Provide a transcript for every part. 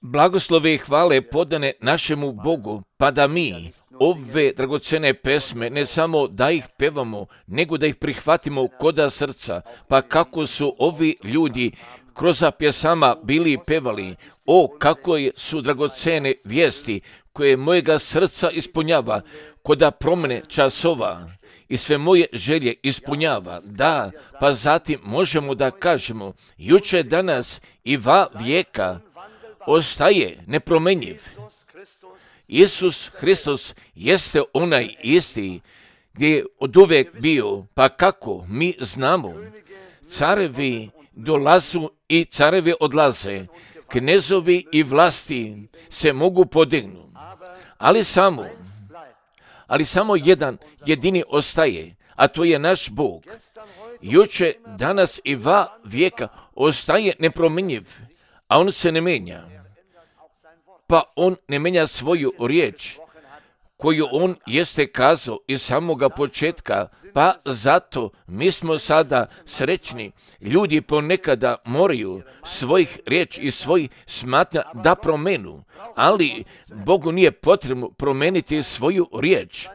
Blagoslove i hvale podane našemu Bogu, pa da mi ove dragocene pesme ne samo da ih pevamo, nego da ih prihvatimo koda srca, pa kako su ovi ljudi kroz pjesama bili pevali, o kako su dragocene vijesti koje mojega srca ispunjava, koda promjene časova i sve moje želje ispunjava. Da, pa zatim možemo da kažemo, juče, danas i va vijeka ostaje nepromenjiv. Isus Hristos jeste onaj isti gdje je oduvijek bio, pa kako mi znamo, carevi dolazu i carevi odlaze, knezovi i vlasti se mogu podignuti, ali samo jedan jedini ostaje, a to je naš Bog. Juče, danas i va vijeka ostaje nepromjenjiv, a on se ne mijenja. Pa on ne mijenja svoju riječ koju on jeste kazao iz samoga početka, pa zato mi smo sada srećni. Ljudi ponekada moraju svojih riječ i svojih smatnja da promenu, ali Bogu nije potrebno promeniti svoju riječ,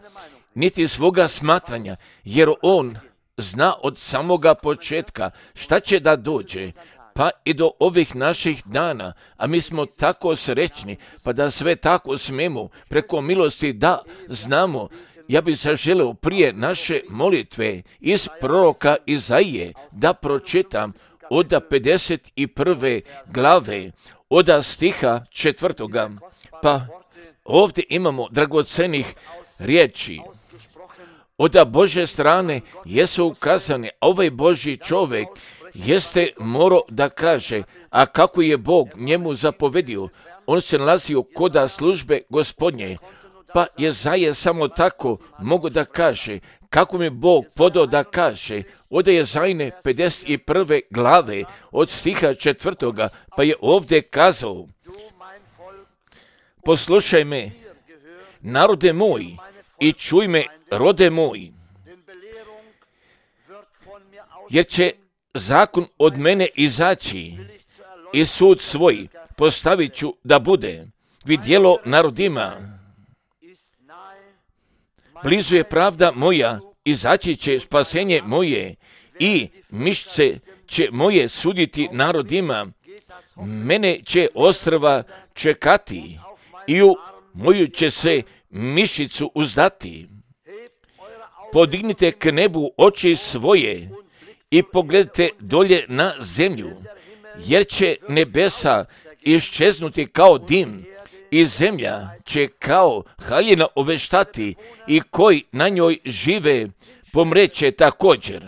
niti svoga smatranja, jer on zna od samoga početka šta će da dođe, pa i do ovih naših dana, a mi smo tako srećni, pa da sve tako smemo preko milosti da znamo. Ja bih zaželeo prije naše molitve iz proroka Izaije da pročitam od 51. glave, od stiha 4. Pa ovdje imamo dragocenih riječi. Od Božje strane jesu ukazane, ovaj Božji čovjek jeste morao da kaže, a kako je Bog njemu zapovedio, on se nalazio koda službe Gospodnje, pa Jezaja samo tako mogu da kaže, kako mi Bog podao da kaže, od Jezajine 51. glave, od stiha 4. pa je ovdje kazao, poslušaj me, narode moj, i čuj me, rode moj, jer će zakon od mene izaći i sud svoj postavit ću da bude vidjelo narodima. Blizu je pravda moja, izaći će spasenje moje i mišce će moje suditi narodima. Mene će ostrva čekati i u moju će se mišicu uzdati. Podignite k nebu oči svoje i pogledajte dolje na zemlju, jer će nebesa iščeznuti kao dim i zemlja će kao haljina oveštati i koji na njoj žive pomreće također.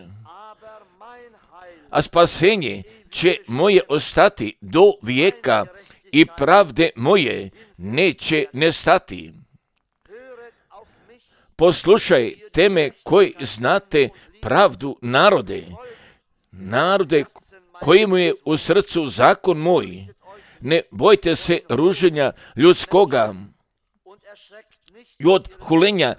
A spasenje će moje ostati do vijeka i pravde moje neće nestati. Poslušajte me koji znate pravdu narode kojemu je u srcu zakon moj. Ne bojte se ruženja ljudskoga i od hulenja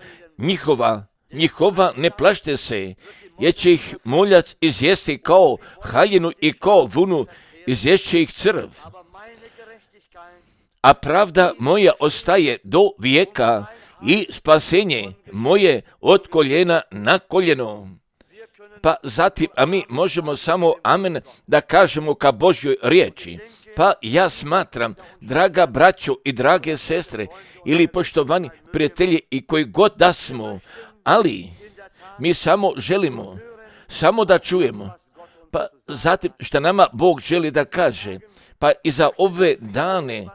njihova ne plašte se, jer će ih moljac izjesti kao haljinu i kao vunu izješće ih crv. A pravda moja ostaje do vijeka i spasenje moje od koljena na koljeno. Pa zatim, a mi možemo samo amen da kažemo ka Božjoj riječi. Pa ja smatram, draga braćo i drage sestre, ili poštovani prijatelji i koji god da smo, ali mi samo želimo, samo da čujemo. Pa zatim, šta nama Bog želi da kaže, pa i za ove dane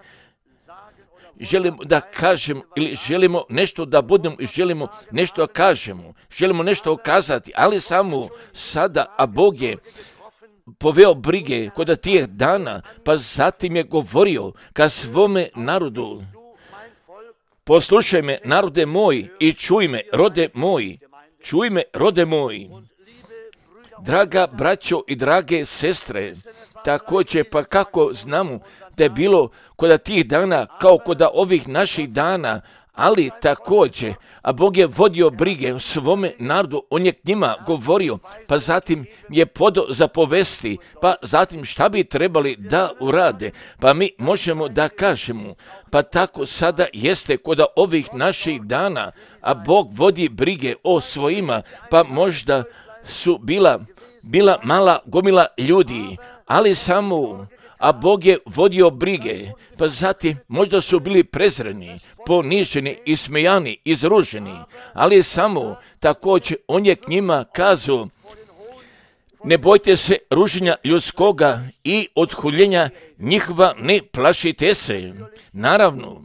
želimo da kažem ili želimo nešto da budemo i želimo nešto da kažemo, želimo nešto okazati, ali samo sada, a Bog je poveo brige kod tih dana, pa zatim je govorio ka svome narodu, poslušaj me, narode moj, i čuj me, rode moj. Draga braćo i drage sestre, također pa kako znamo da je bilo kod tih dana kao kod ovih naših dana, ali također, a Bog je vodio brige o svome narodu, on je k njima govorio, pa zatim je podao za povesti, pa zatim šta bi trebali da urade, pa mi možemo da kažemo, pa tako sada jeste kod ovih naših dana, a Bog vodi brige o svojima, pa možda su bila mala gomila ljudi, ali samo, a Bog je vodio brige, pa zatim možda su bili prezreni, poniženi, ismejani, izruženi, ali samo također on je k njima kazao, ne bojte se ruženja ljudskoga i odhuljenja njihova, ne plašite se. Naravno,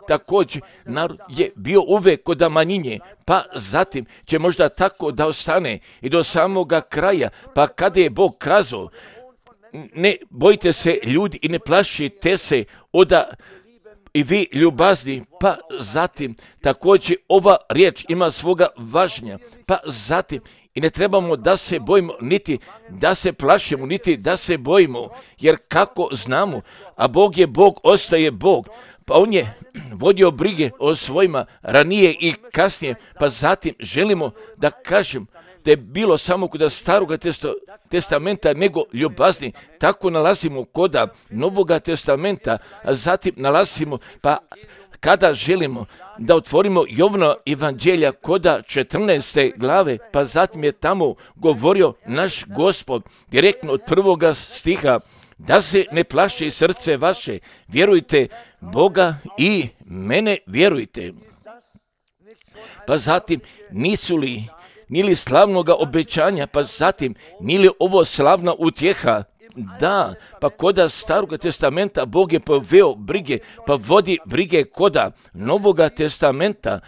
također narod je bio uvek kod manjine, pa zatim će možda tako da ostane i do samoga kraja, pa kada je Bog kazao, ne bojte se ljudi i ne plašite se oda i vi ljubazni, pa zatim također ova riječ ima svoga važnja, pa zatim i ne trebamo da se bojimo, niti da se plašimo, niti da se bojimo, jer kako znamo, a Bog je Bog, ostaje Bog, pa on je vodio brige o svojima ranije i kasnije, pa zatim želimo da kažem da je bilo samo kod Staroga testamenta nego ljubazni, tako nalazimo kod Novoga testamenta, a zatim nalazimo, pa kada želimo da otvorimo Jovano evanđelja kod 14. glave, pa zatim je tamo govorio naš Gospod direktno od 1. stiha, da se ne plaši srce vaše, vjerujte Boga i mene vjerujte. Pa zatim nisu li nili slavnoga obećanja, pa zatim nili ovo slavna utjeha. Da, pa koda Staroga testamenta Bog je poveo brige, pa vodi brige koda Novoga testamenta.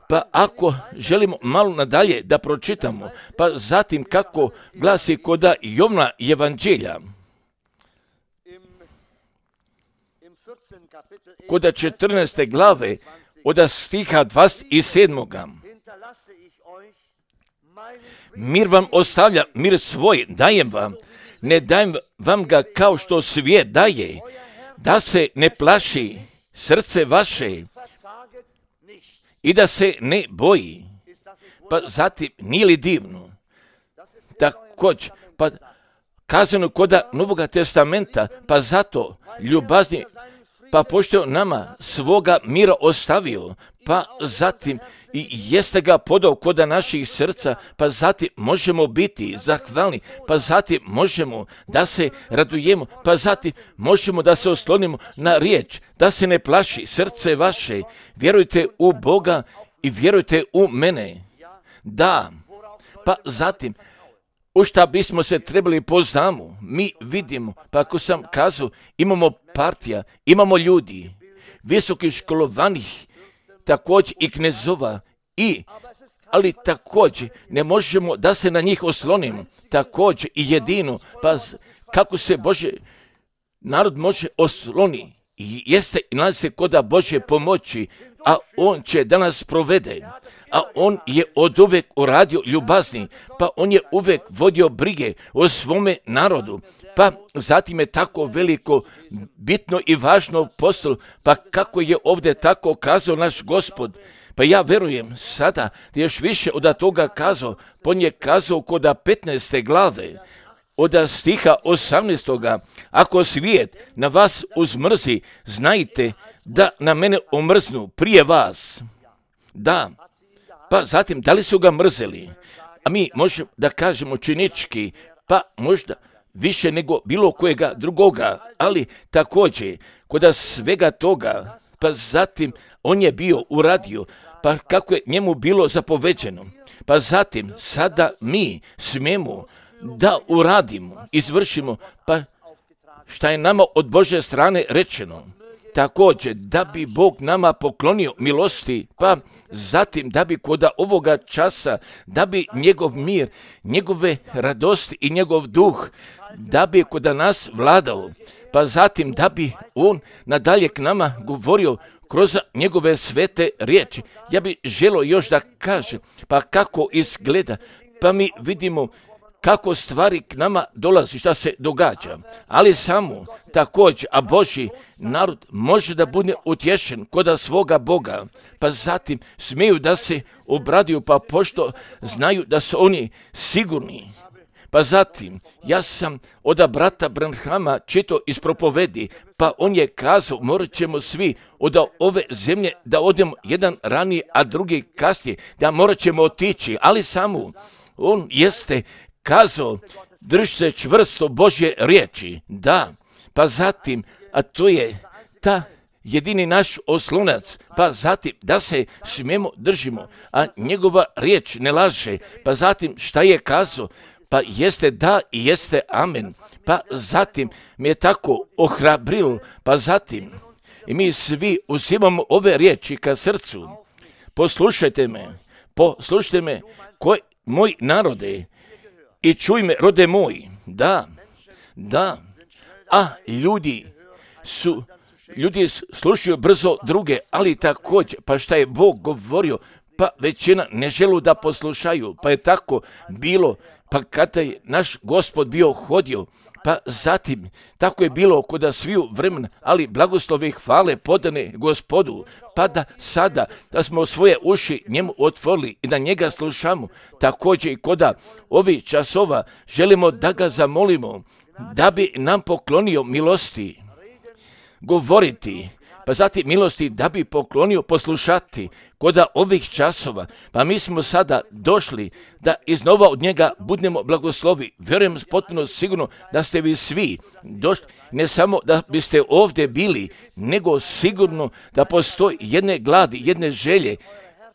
Pa ako želimo malo nadalje da pročitamo, pa zatim kako glasi koda Jovana evanđelja, koda 14. glave, od stiha 27. Mir vam ostavlja, mir svoj dajem vam, ne dajem vam ga kao što svijet daje, da se ne plaši srce vaše i da se ne boji. Pa zatim, nije li divno? Također, pa kazano koda Novoga testamenta, pa zato ljubazni, pa pošto nama svoga mira ostavio, pa zatim i jeste ga podao koda naših srca, pa zatim možemo biti zahvalni, pa zatim možemo da se radujemo, pa zatim možemo da se oslonimo na riječ, da se ne plaši srce vaše, vjerujte u Boga i vjerujte u mene. Da, pa zatim, u šta bismo se trebali poznamo, mi vidimo, pa ako sam kazao, imamo partija, imamo ljudi, visokih školovanih, također i knezova, ali također ne možemo da se na njih oslonimo, također i jedino, pa kako se Bože narod može osloni, jeste i nalazi se koda Bože pomoći, a on će da nas provede, a on je od uvek uradio ljubazni, pa on je uvek vodio brige o svome narodu, pa zatim je tako veliko, bitno i važno postalo, pa kako je ovdje tako kazao naš Gospod, pa ja verujem sada da još više od toga kazao, pa on je kazao kod 15. glave, od stiha 18. Ako svijet na vas uzmrzi, znajte da na mene omrznu prije vas. Da, pa zatim da li su ga mrzeli? A mi možemo da kažemo činički, pa možda više nego bilo kojega drugoga, ali također kod svega toga, pa zatim on je bio uradio, pa kako je njemu bilo zapoveđeno, pa zatim sada mi smijemo da uradimo, izvršimo, pa šta je nama od Božje strane rečeno. Također, da bi Bog nama poklonio milosti, pa zatim da bi kod ovoga časa, da bi njegov mir, njegove radosti i njegov duh, da bi kod nas vladao, pa zatim da bi on nadalje k nama govorio kroz njegove svete riječi. Ja bi želio još da kažem, pa kako izgleda, pa mi vidimo kako stvari k nama dolazi, šta se događa. Ali samo također, a Božji narod može da bude utješen kod svoga Boga, pa zatim smiju da se obraduju, pa pošto znaju da su oni sigurni. Pa zatim, ja sam od brata Branhama čitao iz propovedi, pa on je kazao, morat ćemo svi od ove zemlje da odemo, jedan ranije, a drugi kasnije, da morat ćemo otići, ali samo on jeste kazao, drži se čvrsto Božje riječi, da, pa zatim, a to je ta jedini naš oslonac, pa zatim da se smijemo držimo, a njegova riječ ne laže, pa zatim šta je kazao, pa jeste da i jeste amen, pa zatim mi je tako ohrabrilo, pa zatim i mi svi uzimamo ove riječi ka srcu. Poslušajte me, moj narode, i čuj me, rode moj, da, a ljudi slušaju brzo druge, ali također, pa šta je Bog govorio, pa većina ne želu da poslušaju, pa je tako bilo, pa kada je naš Gospod bio hodio, pa zatim tako je bilo kod sviju vremena, ali blagoslove hvale podane Gospodu, pa da sada da smo svoje uši njemu otvorili i da njega slušamo, također i kod ovih časova želimo da ga zamolimo da bi nam poklonio milosti govoriti, pa zatim milosti da bi poklonio poslušati kod ovih časova. Pa mi smo sada došli da iznova od njega budemo blagoslovi. Vjerujem potpuno sigurno da ste vi svi došli, ne samo da biste ovdje bili, nego sigurno da postoji jedne gladi, jedne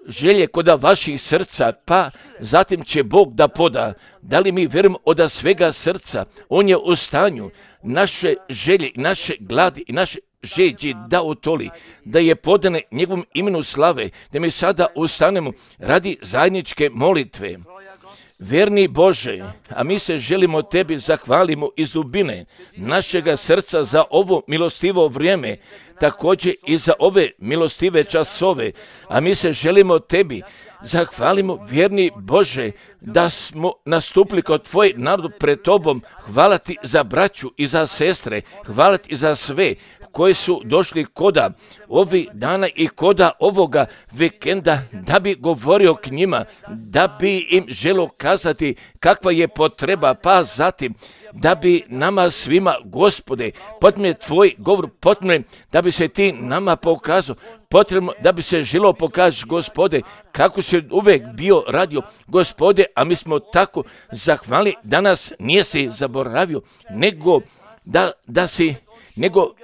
želje kod vaših srca, pa zatim će Bog da poda. Da li mi vjerujemo od svega srca? On je u stanju naše želje, naše gladi i naše žeđi da utoli, da je podane njegovom imenu slave, da mi sada ustanemo radi zajedničke molitve. Vjerni Bože, a mi se želimo tebi zahvalimo iz dubine našega srca za ovo milostivo vrijeme, također i za ove milostive časove, a mi se želimo tebi zahvalimo, vjerni Bože, da smo nastupili kod tvoj narod pred tobom. Hvala ti za braću i za sestre, hvala ti za sve koji su došli koda ovih dana i koda ovoga vikenda da bi govorio k njima, da bi im želio kazati kakva je potreba, pa zatim da bi nama svima, Gospode, potrebno tvoj govor, potrebno da bi se ti nama pokazao, potrebno da bi se želo pokazati, Gospode, kako se uvek bio radio, Gospode, a mi smo tako zahvali da nas nisi zaboravio, nego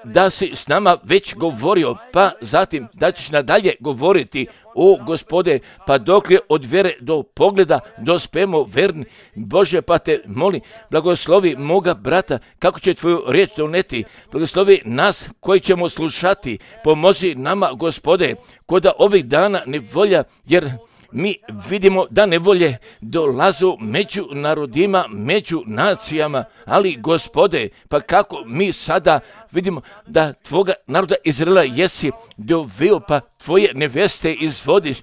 da si s nama već govorio, pa zatim da ćeš nadalje govoriti, o Gospode, pa dok je od vjere do pogleda dospemo verni. Bože, pa te molim, blagoslovi moga brata, kako će tvoju riječ doneti, blagoslovi nas koji ćemo slušati, pomozi nama, Gospode, kod ovih dana nevolja, jer mi vidimo da nevolje dolazu među narodima, među nacijama, ali Gospode, pa kako mi sada vidimo da tvoga naroda Izraela jesi doveo, pa tvoje neveste izvodiš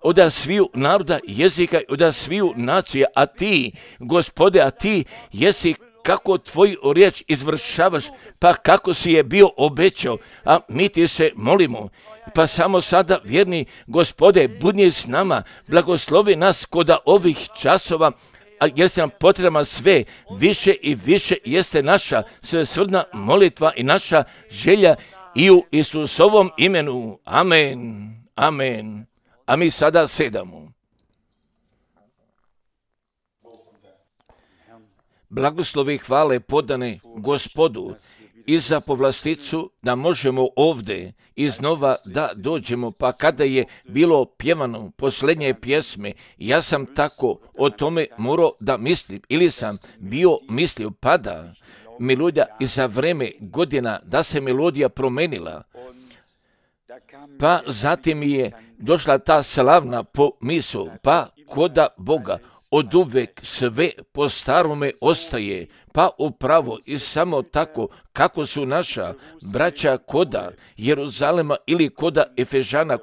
od sviju naroda, jezika, od sviju nacija, a ti, Gospode, a ti jesi kako tvoju riječ izvršavaš, pa kako si je bio obećao, a mi ti se molimo, pa samo sada, vjerni Gospode, budni s nama, blagoslovi nas kod ovih časova, jer se nam potrebama sve više i više jeste naša svesrdna molitva i naša želja i u Isusovom imenu. Amen. Amen. A mi sada sedamo. Blagoslovi hvale podane Gospodu i za povlasticu da možemo ovdje iznova da dođemo, pa kada je bilo pjevano posljednje pjesme, ja sam tako o tome morao da mislim, ili sam bio mislio, pa da melodija i za vreme godina da se melodija promenila, pa zatim je došla ta slavna pomisao, pa koda Boga oduvek sve po starome ostaje, pa upravo i samo tako kako su naša braća koda Jeruzalema ili koda Efežana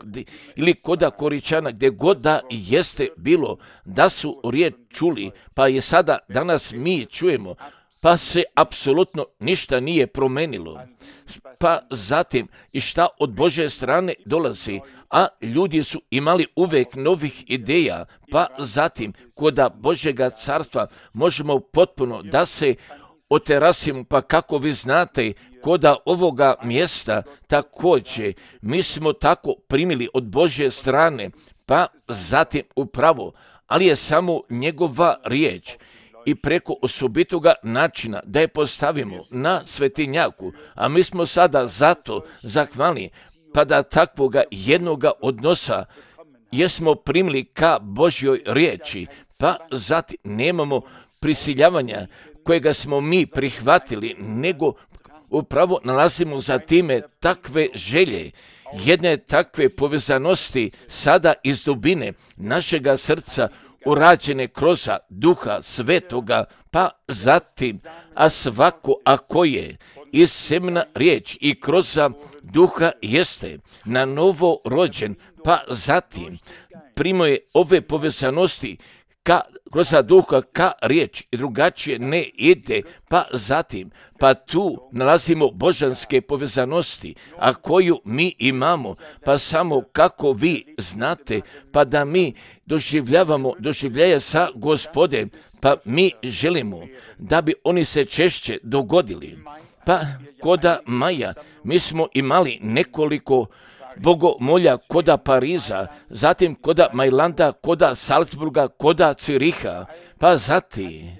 ili koda Koričana, gdje god da jeste bilo, da su riječ čuli, pa je sada danas mi čujemo, pa se apsolutno ništa nije promenilo. Pa zatim i šta od Božje strane dolazi, a ljudi su imali uvek novih ideja, pa zatim koda Božjega carstva možemo potpuno da se oterasimo, pa kako vi znate, koda ovoga mjesta također mi smo tako primili od Božje strane, pa zatim upravo, ali je samo njegova riječ i preko osobitoga načina da je postavimo na svetinjaku, a mi smo sada zato zahvalni, pa da takvoga jednoga odnosa jesmo primili ka Božjoj riječi, pa zatim nemamo prisiljavanja kojega smo mi prihvatili, nego upravo nalazimo za time takve želje, jedne takve povezanosti sada iz dubine našega srca urađene kroz Duha Svetoga, pa zatim, a svako ako je iz semena riječ i kroz Duha jeste na novo rođen, pa zatim primuje ove povezanosti kroz Duha ka riječ i drugačije ne ide, pa zatim, pa tu nalazimo božanske povezanosti, a koju mi imamo, pa samo kako vi znate, pa da mi doživljaje sa Gospodem, pa mi želimo da bi oni se češće dogodili. Pa koda Maja mi smo imali nekoliko bogomolja koda Pariza, zatim koda Majlanda, koda Salzburga, koda Ciriha, pa zatim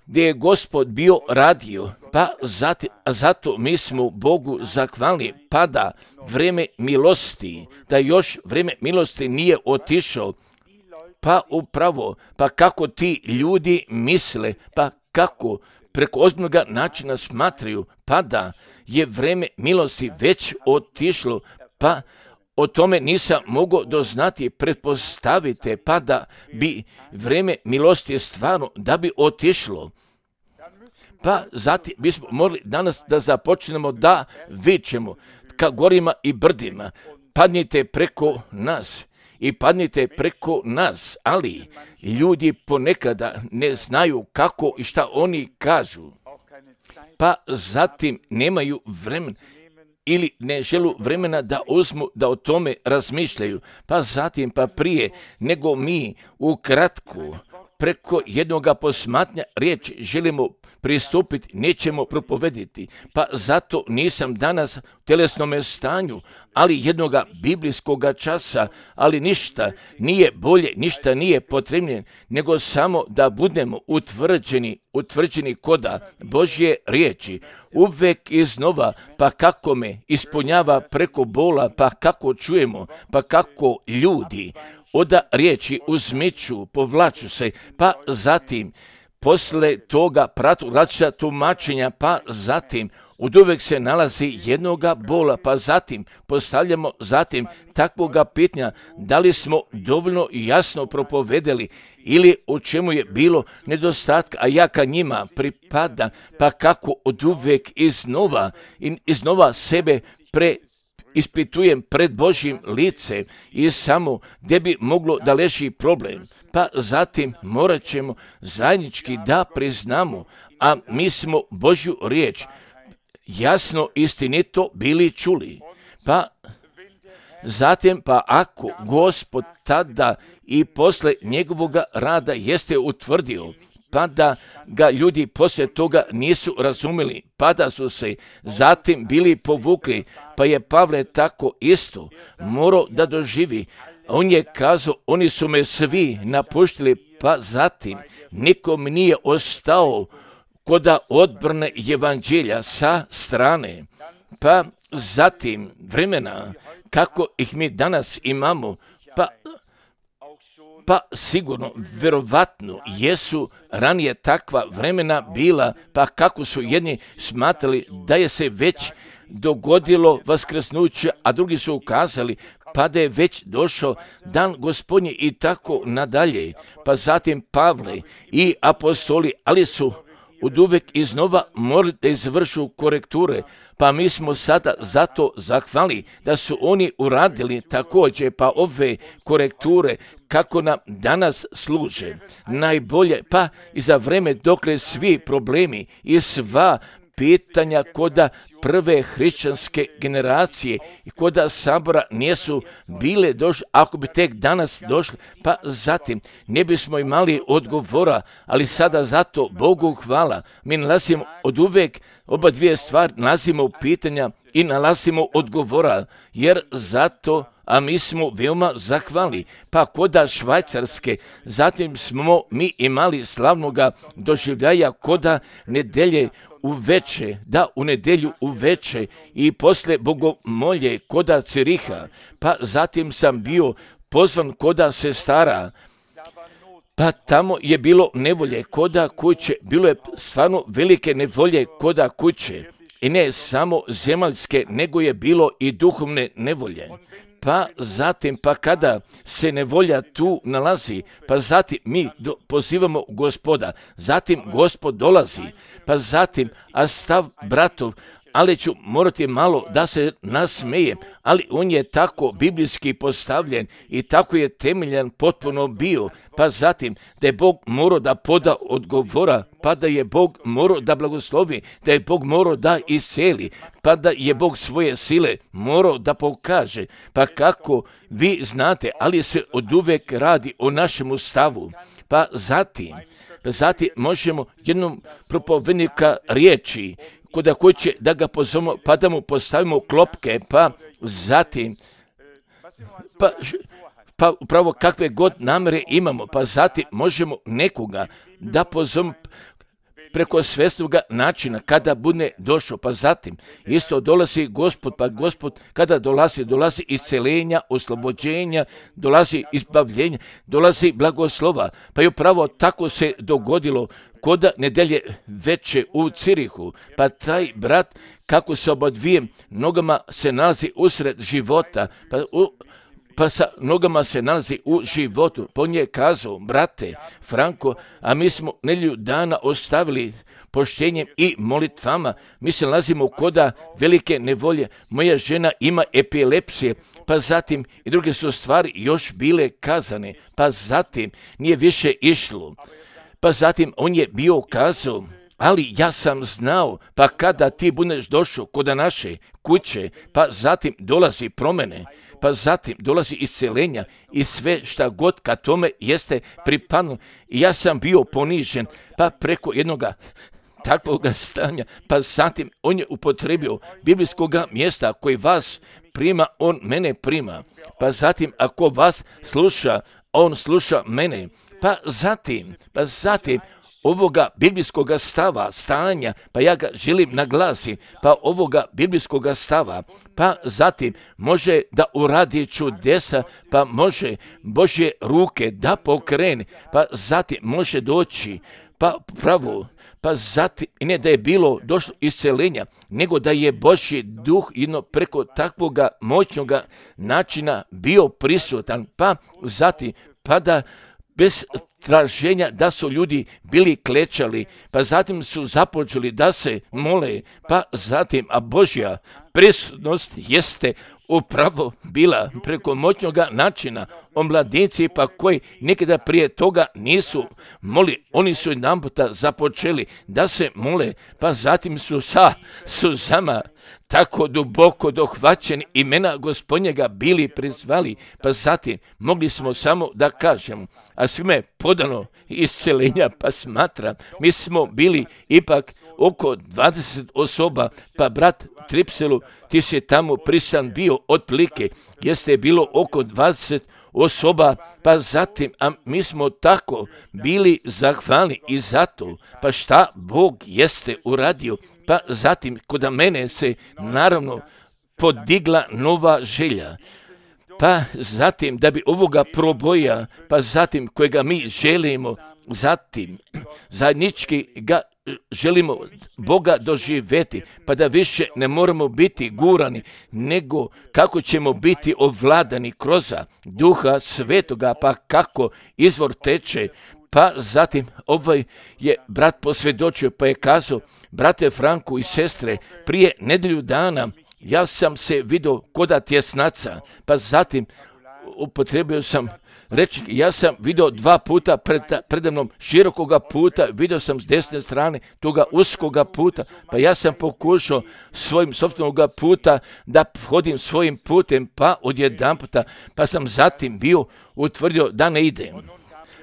gdje je Gospod bio radio, pa zatim, zato mi smo Bogu zahvalni, pa da vreme milosti, da još vreme milosti nije otišao, pa upravo, pa kako ti ljudi misle, pa kako preko ozbiljnoga načina smatraju, pa da je vreme milosti već otišlo, pa o tome nisam mogao doznati, pretpostavite, pa da bi vreme milosti stvarno da bi otišlo. Pa zatim bismo morali danas da započnemo da vičemo ka gorima i brdima, padnite preko nas i padnite preko nas, ali ljudi ponekada ne znaju kako i šta oni kažu, pa zatim nemaju vremena ili ne želu vremena da uzmu da o tome razmišljaju, pa zatim pa prije nego mi ukratko preko jednoga posmatnja riječi želimo pristupiti, nećemo propovediti, pa zato nisam danas u telesnome stanju, ali jednoga biblijskoga časa, ali ništa nije bolje, ništa nije potrebnije, nego samo da budemo utvrđeni koda Božje riječi, uvek iznova, pa kako me ispunjava preko bola, pa kako čujemo, pa kako ljudi oda riječi uzmiču, povlaču se, pa zatim posle toga pratu različita tumačenja, pa zatim oduvek se nalazi jednoga bola, pa zatim postavljamo takvoga pitanja da li smo dovoljno jasno propovedeli ili u čemu je bilo nedostatka, a ja ka njima pripada, pa kako oduvek iznova sebe ispitujem pred Božjim licem i samo gdje bi moglo da leži problem. Pa zatim morat ćemo zajednički da priznamo, a mi smo Božju riječ jasno istinito bili čuli. Pa zatim, pa ako Gospod tada i posle njegovoga rada jeste utvrdio, pa da ga ljudi poslije toga nisu razumjeli, pa da su se zatim bili povukli, pa je Pavle tako isto morao da doživi. On je kazao, oni su me svi napuštili, pa zatim nikom nije ostao koda odbrane evanđelja sa strane. Pa zatim vremena kako ih mi danas imamo, pa sigurno, verovatno, jesu ranije takva vremena bila, pa kako su jedni smatrali da je se već dogodilo vaskrsnuće, a drugi su ukazali pa da je već došao dan Gospodnji i tako nadalje. Pa zatim Pavle i apostoli, ali su oduvek iznova morali da izvršu korekture, pa mi smo sada zato zahvali da su oni uradili također pa ove korekture kako nam danas služe najbolje, pa i za vreme dokle svi problemi i sva pitanja koda prve hrišćanske generacije i koda sabora nisu bile došli, ako bi tek danas došli, pa zatim ne bismo imali odgovora, ali sada zato Bogu hvala. Mi nalazimo od uvek oba dvije stvari, nalazimo pitanja i nalazimo odgovora, jer zato a mi smo veoma zahvalni. Pa koda Švajcarske, zatim smo mi imali slavnoga doživljaja koda nedelje uveče, da u nedjelju uveče i posle bogomolje koda Ciriha, pa zatim sam bio pozvan koda sestara, pa tamo je bilo nevolje koda kuće, bilo je stvarno velike nevolje koda kuće i ne samo zemaljske, nego je bilo i duhovne nevolje. Pa zatim, pa kada se nevolja tu nalazi, pa zatim mi pozivamo Gospoda, zatim Gospod dolazi, pa zatim, a stav bratov, ali ću morati malo da se nasmejem, ali on je tako biblijski postavljen i tako je temeljan potpuno bio, pa zatim da je Bog morao da poda odgovora, pa da je Bog morao da blagoslovi, da je Bog morao da iseli, pa da je Bog svoje sile morao da pokaže, pa kako vi znate, ali se oduvek radi o našemu stavu, pa zatim možemo jednom propovednika riječi, koda hoće da ga pozovemo, pa da mu postavimo klopke, pa zatim, pa upravo kakve god namere imamo, pa zatim možemo nekoga da pozovemo preko svesnoga načina kada bude došao, pa zatim isto dolazi Gospod, pa Gospod kada dolazi iscelenja, oslobođenja, dolazi izbavljenja, dolazi blagoslova, pa i upravo tako se dogodilo koda nedelje veče u Cirihu, pa taj brat kako se oba dvije nogama se nalazi usred života, pa sa nogama se nalazi u životu. Pa on je kazao, brate Franko, a mi smo nedjelju dana ostavili poštenjem i molitvama. Mi se nalazimo koda velike nevolje. Moja žena ima epilepsije, pa zatim i druge su stvari još bile kazane, pa zatim nije više išlo. Pa zatim on je bio kazao, ali ja sam znao, pa kada ti budeš došao kod naše kuće, pa zatim dolazi promjene, pa zatim dolazi iscelenja i sve šta god ka tome jeste pripadno. I ja sam bio ponižen, pa preko jednoga takvoga stanja, pa zatim on je upotrebio biblijskoga mjesta koji vas prima, on mene prima. Pa zatim ako vas sluša, on sluša mene. Pa zatim ovoga biblijskoga stanja, pa ja ga želim naglasiti, pa ovoga biblijskoga stava, pa zatim može da uradi čudesa, pa može Božje ruke da pokrene, pa zatim može doći, pa pravo, pa zatim, ne da je bilo došlo iscelenja, nego da je Božji duh preko takvoga moćnoga načina bio prisutan, pa zatim, pa da bez traženja da su ljudi bili klečali, pa zatim su započeli da se mole, pa zatim, a Božja prisutnost jeste upravo bila preko moćnoga načina. Omladinci pa koji nekada prije toga nisu moli, oni su jedanputa započeli da se mole, pa zatim su sa suzama tako duboko dohvaćeni imena Gospodnjega bili prizvali, pa zatim mogli smo samo da kažemo, a svime je podano iscelenja, pa smatram, mi smo bili ipak oko 20 osoba, pa brat Tripselu, ti si tamo prisutan bio otprilike, jeste bilo oko 20 osoba, pa zatim, a mi smo tako bili zahvalni i zato, pa šta Bog jeste uradio, pa zatim kod mene se naravno podigla nova želja, pa zatim da bi ovoga proboja, pa zatim kojega mi želimo, zatim zajednički ga želimo Boga doživjeti, pa da više ne moramo biti gurani, nego kako ćemo biti ovladani kroz Duha Svetoga, pa kako izvor teče. Pa zatim ovaj je brat posvjedočio, pa je kazao: brate Franku i sestre, prije nedjelju dana ja sam se vidio koda tjesnaca, pa zatim upotrebio sam reći, ja sam vidio 2 puta predamnom širokoga puta, vidio sam s desne strane toga uskoga puta, pa ja sam pokušao svojim sopstvenog puta da hodim svojim putem, pa odjedanputa, pa sam zatim bio utvrdio da ne idem.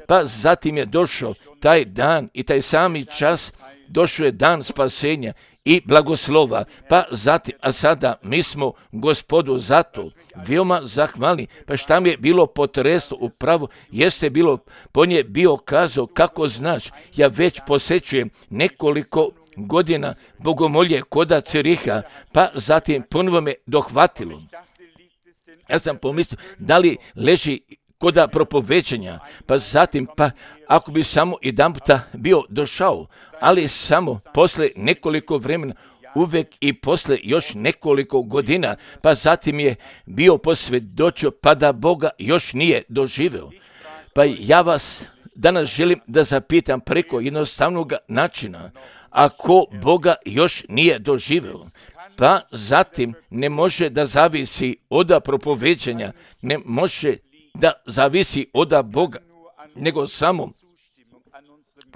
Pa zatim je došao taj dan i taj sami čas, došao je dan spasenja i blagoslova. Pa zatim, a sada mi smo Gospodu zato veoma zahvalni. Pa šta mi je bilo potresno upravo, jeste bilo, po nje bio kazao, kako znaš, ja već posjećujem nekoliko godina bogomolje koda Ciriha, pa zatim ponovo me dohvatilo. Ja sam pomislio, da li leži koda propoveđenja, pa zatim, pa ako bi samo jedanputa bio došao, ali samo posle nekoliko vremena, uvek i posle još nekoliko godina, pa zatim je bio posvjedočio, pa da Boga još nije doživeo. Pa ja vas danas želim da zapitam preko jednostavnog načina, ako Boga još nije doživeo, pa zatim ne može da zavisi od propoveđenja, ne može da zavisi od Boga, nego samo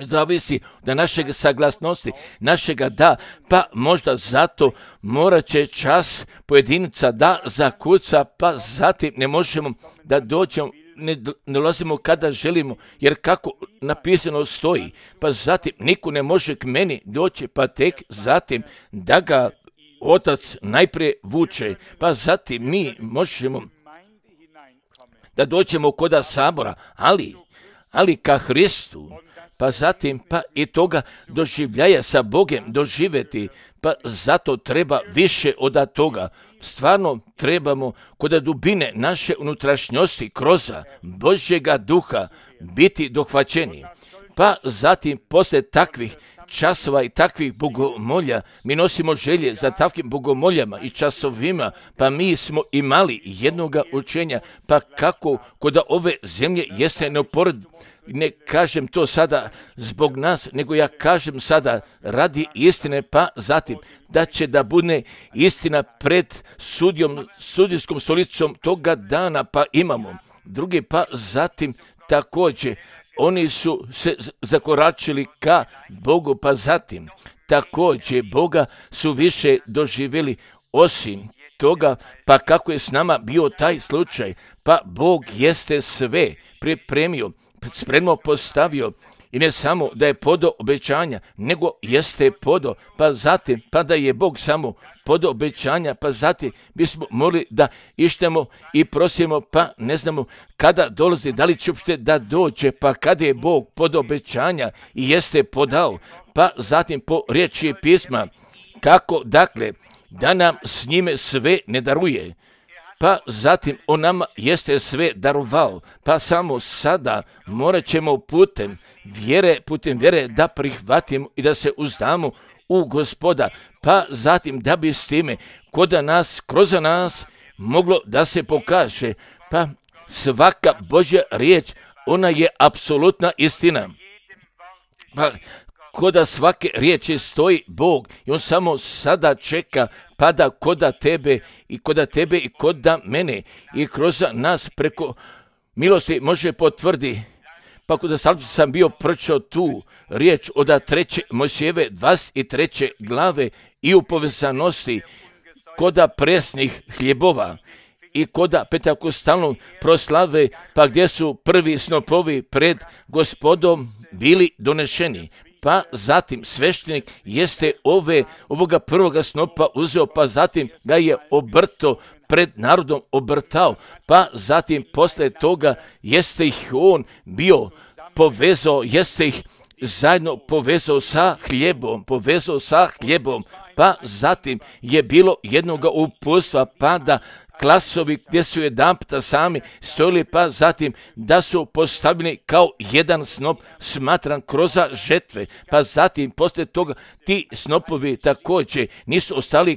zavisi od našeg saglasnosti, našega da, pa možda zato morat će čas pojedinca da zakuca, pa zatim ne možemo da dođemo, ne dolazimo kada želimo, jer kako napisano stoji, pa zatim niko ne može k meni doći, pa tek zatim da ga Otac najprije vuče, pa zatim mi možemo da dođemo koda sabora, ali ka Hristu, pa zatim pa i toga doživljaja sa Bogem doživjeti, pa zato treba više od toga. Stvarno trebamo koda dubine naše unutrašnjosti kroz Božjega duha biti dohvaćeni. Pa zatim posle takvih časova i takvih bogomolja, mi nosimo želje za takvim bogomoljama i časovima, pa mi smo imali jednoga učenja, pa kako kod ove zemlje jeste neoporedivo. Ne kažem to sada zbog nas, nego ja kažem sada radi istine, pa zatim da će da bude istina pred sudijskom stolicom toga dana, pa imamo drugi, pa zatim također oni su se zakoračili ka Bogu, pa zatim također Boga su više doživjeli osim toga, pa kako je s nama bio taj slučaj, pa Bog jeste sve pripremio, spremno postavio i ne samo da je podo obećanja, nego jeste podo, pa zatim, pa da je Bog samo podo obećanja, pa zatim bismo mogli da ištemo i prosimo, pa ne znamo kada dolazi, da li će uopšte da dođe, pa kada je Bog podo obećanja i jeste podao, pa zatim po riječi pisma, kako dakle da nam s njime sve ne daruje, pa zatim on nama jeste sve darovao, pa samo sada morat ćemo putem vjere da prihvatimo i da se uzdamo u Gospoda, pa zatim da bi s time kroz nas moglo da se pokaže, pa svaka Božja riječ, ona je apsolutna istina. Pa koda svake riječi stoji Bog i on samo sada čeka pada koda tebe i koda mene i kroz nas preko milosti može potvrdi. Pa kada sam bio pročitao tu riječ od 3. Mojsijeve 23. glave i u povezanosti koda presnih hljebova i koda petakostalnog proslave, pa gdje su prvi snopovi pred Gospodom bili donešeni. Pa zatim sveštenik jeste ovoga prvoga snopa uzeo, pa zatim ga je obrto pred narodom obrtao, pa zatim posle toga jeste ih on bio povezao, jeste ih zajedno povezao sa hljebom, pa zatim je bilo jednoga uputstva, pa da klasovi gdje su jedanputa sami stojili, pa zatim da su postavljeni kao jedan snop smatran kroz žetve, pa zatim poslije toga ti snopovi također nisu ostali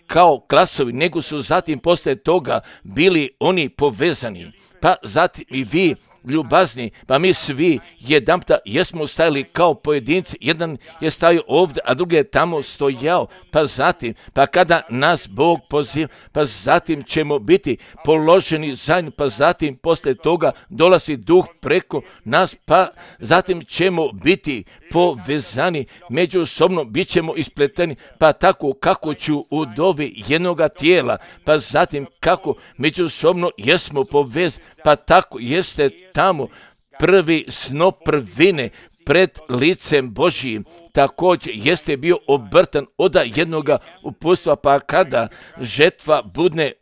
kao klasovi, nego su zatim poslije toga bili oni povezani. Pa zatim i vi ljubazni, pa mi svi jedanputa jesmo stajali kao pojedinci, jedan je stajao ovdje, a drugi je tamo stojao, pa zatim, pa kada nas Bog poziva, pa zatim ćemo biti položeni zajedno, pa zatim poslije toga dolazi duh preko nas, pa zatim ćemo biti povezani međusobno, bit ćemo ispleteni, pa tako kako ću u dovi jednoga tijela, pa zatim kako međusobno jesmo povezani, pa tako jeste tamo prvi snop prvine pred licem Božijim. Također jeste bio obrtan od jednoga uputstva, pa kada žetva bude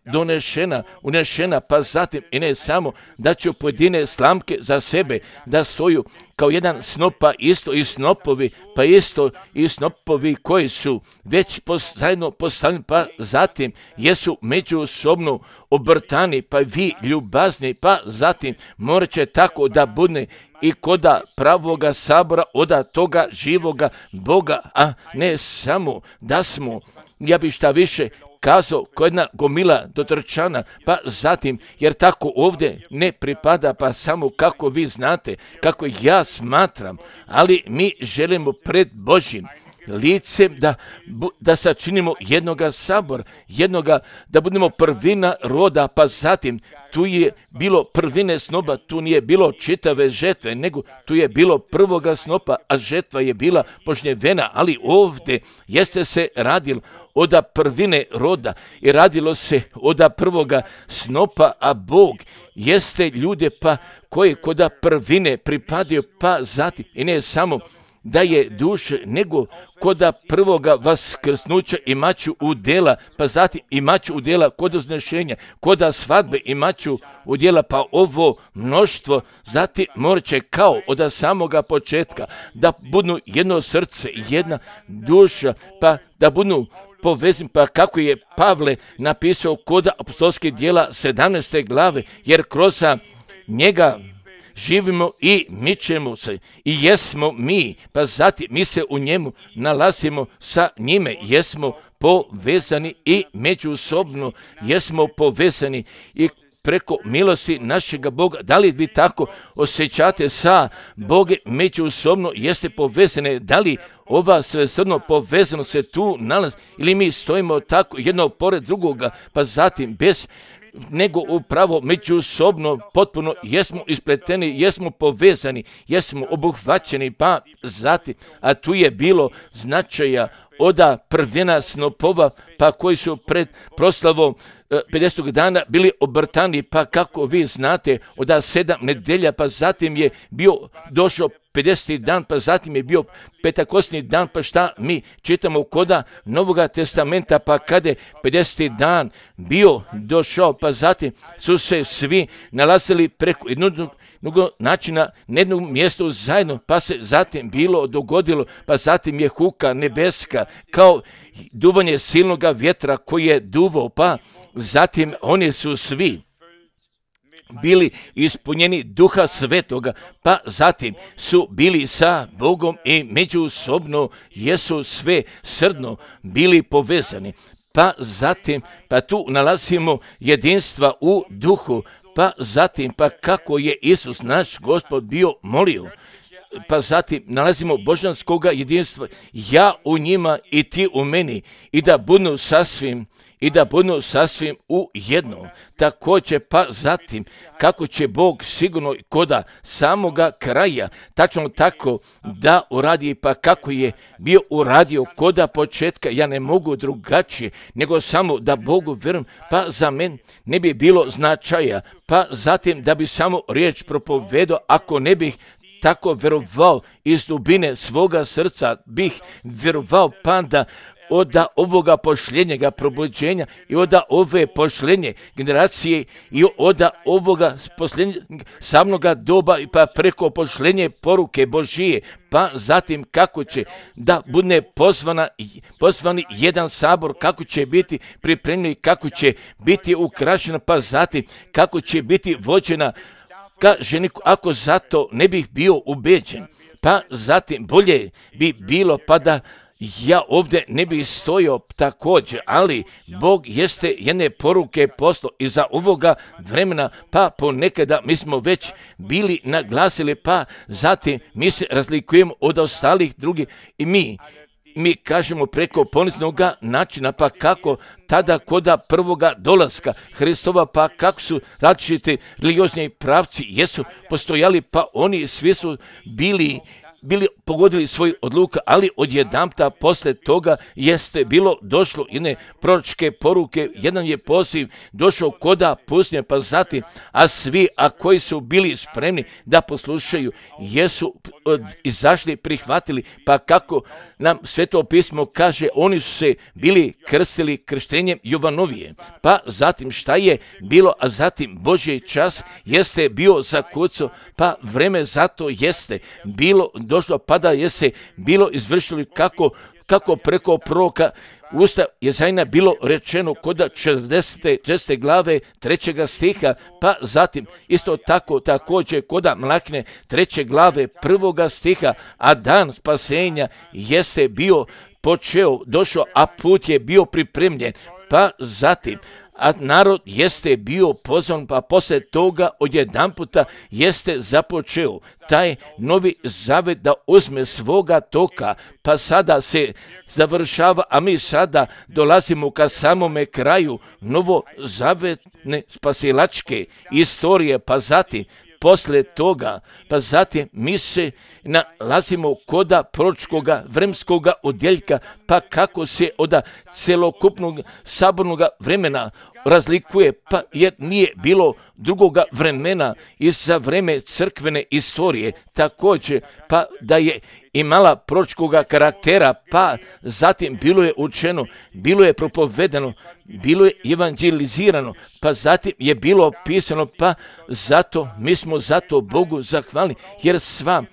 unešena, pa zatim i ne samo da će pojedine slamke za sebe da stoju kao jedan snop, pa isto i snopovi, pa isto i snopovi koji su već zajedno postavljeni, pa zatim jesu međusobno obrtani, pa vi ljubazni, pa zatim morat će tako da bude i koda pravoga sabora od toga živoga Boga, a ne samo da smo, ja bi šta više kazao, ko jedna gomila dotrčana, pa zatim, jer tako ovdje ne pripada, pa samo kako vi znate, kako ja smatram, ali mi želimo pred Božjim licem da sačinimo jednoga sabora, da budemo prvina roda, pa zatim tu je bilo prvine snopa, tu nije bilo čitave žetve, nego tu je bilo prvoga snopa, a žetva je bila požnjevena, ali ovdje jeste se radilo od prvine roda i radilo se od prvoga snopa, a Bog jeste ljude pa koji kod prvine pripadaju, pa zatim i ne samo da je duše, nego koda prvoga vaskrsnuća imaću udjela, pa zatim imaću udjela kod uznešenja, koda svadbe imaću udjela, pa ovo mnoštvo zatim morat će kao od samoga početka da budu jedno srce, jedna duša, pa da budu povezani, pa kako je Pavle napisao kod apostolskih djela 17. glave, jer kroz njega živimo i mičemo se i jesmo mi, pa zatim mi se u njemu nalazimo sa njime, jesmo povezani i međusobno jesmo povezani i preko milosti našega Boga. Da li vi tako osjećate sa Bogom međusobno, jeste povezane, da li ova svesrdno povezano se tu nalazi ili mi stojimo tako jedno pored drugoga, pa zatim bez nego upravo međusobno potpuno jesmo ispleteni, jesmo povezani, jesmo obuhvaćeni, pa zatim, a tu je bilo značaja od prvina snopova, pa koji su pred proslavom 50. dana bili obrtani, pa kako vi znate, od 7 nedelja, pa zatim je bio došao 50. dan, pa zatim je bio Pentakostni dan, pa šta mi čitamo koda Novoga testamenta, pa kada je 50. dan bio došao, pa zatim su se svi nalazili preko jednog načina na jednom mjestu zajedno, pa se zatim bilo dogodilo, pa zatim je huka nebeska kao duvanje silnoga vjetra koji je duvao, pa zatim oni su svi bili ispunjeni Duha Svetoga, pa zatim su bili sa Bogom i međusobno jesu sve srdno bili povezani. Pa zatim, pa tu nalazimo jedinstva u duhu, pa zatim, pa kako je Isus naš Gospod bio molio, pa zatim nalazimo božanskoga jedinstva, ja u njima i ti u meni, i da budu sasvim u jedno. Također, pa zatim, kako će Bog sigurno koda samoga kraja, tačno tako da uradi, pa kako je bio uradio koda početka, ja ne mogu drugačije, nego samo da Bogu vjerujem, pa za men ne bi bilo značaja, pa zatim da bi samo riječ propovedao, ako ne bih tako vjerovao iz dubine svoga srca, bih vjerovao pa da od ovoga pošljenjega probuđenja i od ove pošljenje generacije i od ovoga samnoga doba i pa preko pošljenje poruke Božije, pa zatim kako će da bude pozvani jedan sabor, kako će biti pripremljeni, kako će biti ukrašena, pa zatim kako će biti vođena ka ženiku, ako zato ne bih bio ubeđen. Pa zatim bolje bi bilo pa da ja ovdje ne bih stojao također, ali Bog jeste jedne poruke poslao iza ovoga vremena, pa ponekada mi smo već bili naglasili, pa zatim mi se razlikujemo od ostalih drugih i mi kažemo preko poniznog načina, pa kako tada koda prvoga dolaska Hristova, pa kako su različiti religiozni pravci jesu postojali, pa oni svi su bili pogodili svoj odluka, ali odjedanputa posle toga jeste bilo došlo jedne proročke poruke, jedan je poziv došao koda pustinje, pa zatim, a svi, koji su bili spremni da poslušaju, jesu izašli, prihvatili, pa kako nam Sveto pismo kaže, oni su se bili krstili krštenjem Jovanovije. Pa zatim šta je bilo, a zatim Božji čas jeste bio zakucao, pa vreme zato jeste bilo došlo, pa da je se bilo izvršilo kako preko proroka usta Jezajna bilo rečeno koda 40. glave 3. stiha, pa zatim isto tako također koda Mlakine 3. glave 1. stiha, a dan spasenja jeste bio počeo, došao, a put je bio pripremljen, pa zatim a narod jeste bio pozvan, pa posle toga odjedanputa jeste započeo taj novi zavet da uzme svoga toka, pa sada se završava, a mi sada dolazimo ka samome kraju novozavetne spasilačke istorije, pa zatim posle toga, pa zatim mi se nalazimo koda proročkoga vremenskoga odjeljka, pa kako se od celokupnog sabornog vremena razlikuje, pa jer nije bilo drugoga vremena i za vreme crkvene istorije također, pa da je imala proročkoga karaktera, pa zatim bilo je učeno, bilo je propovedano, bilo je evanđelizirano, pa zatim je bilo pisano, pa zato mi smo zato Bogu zahvalni, jer sva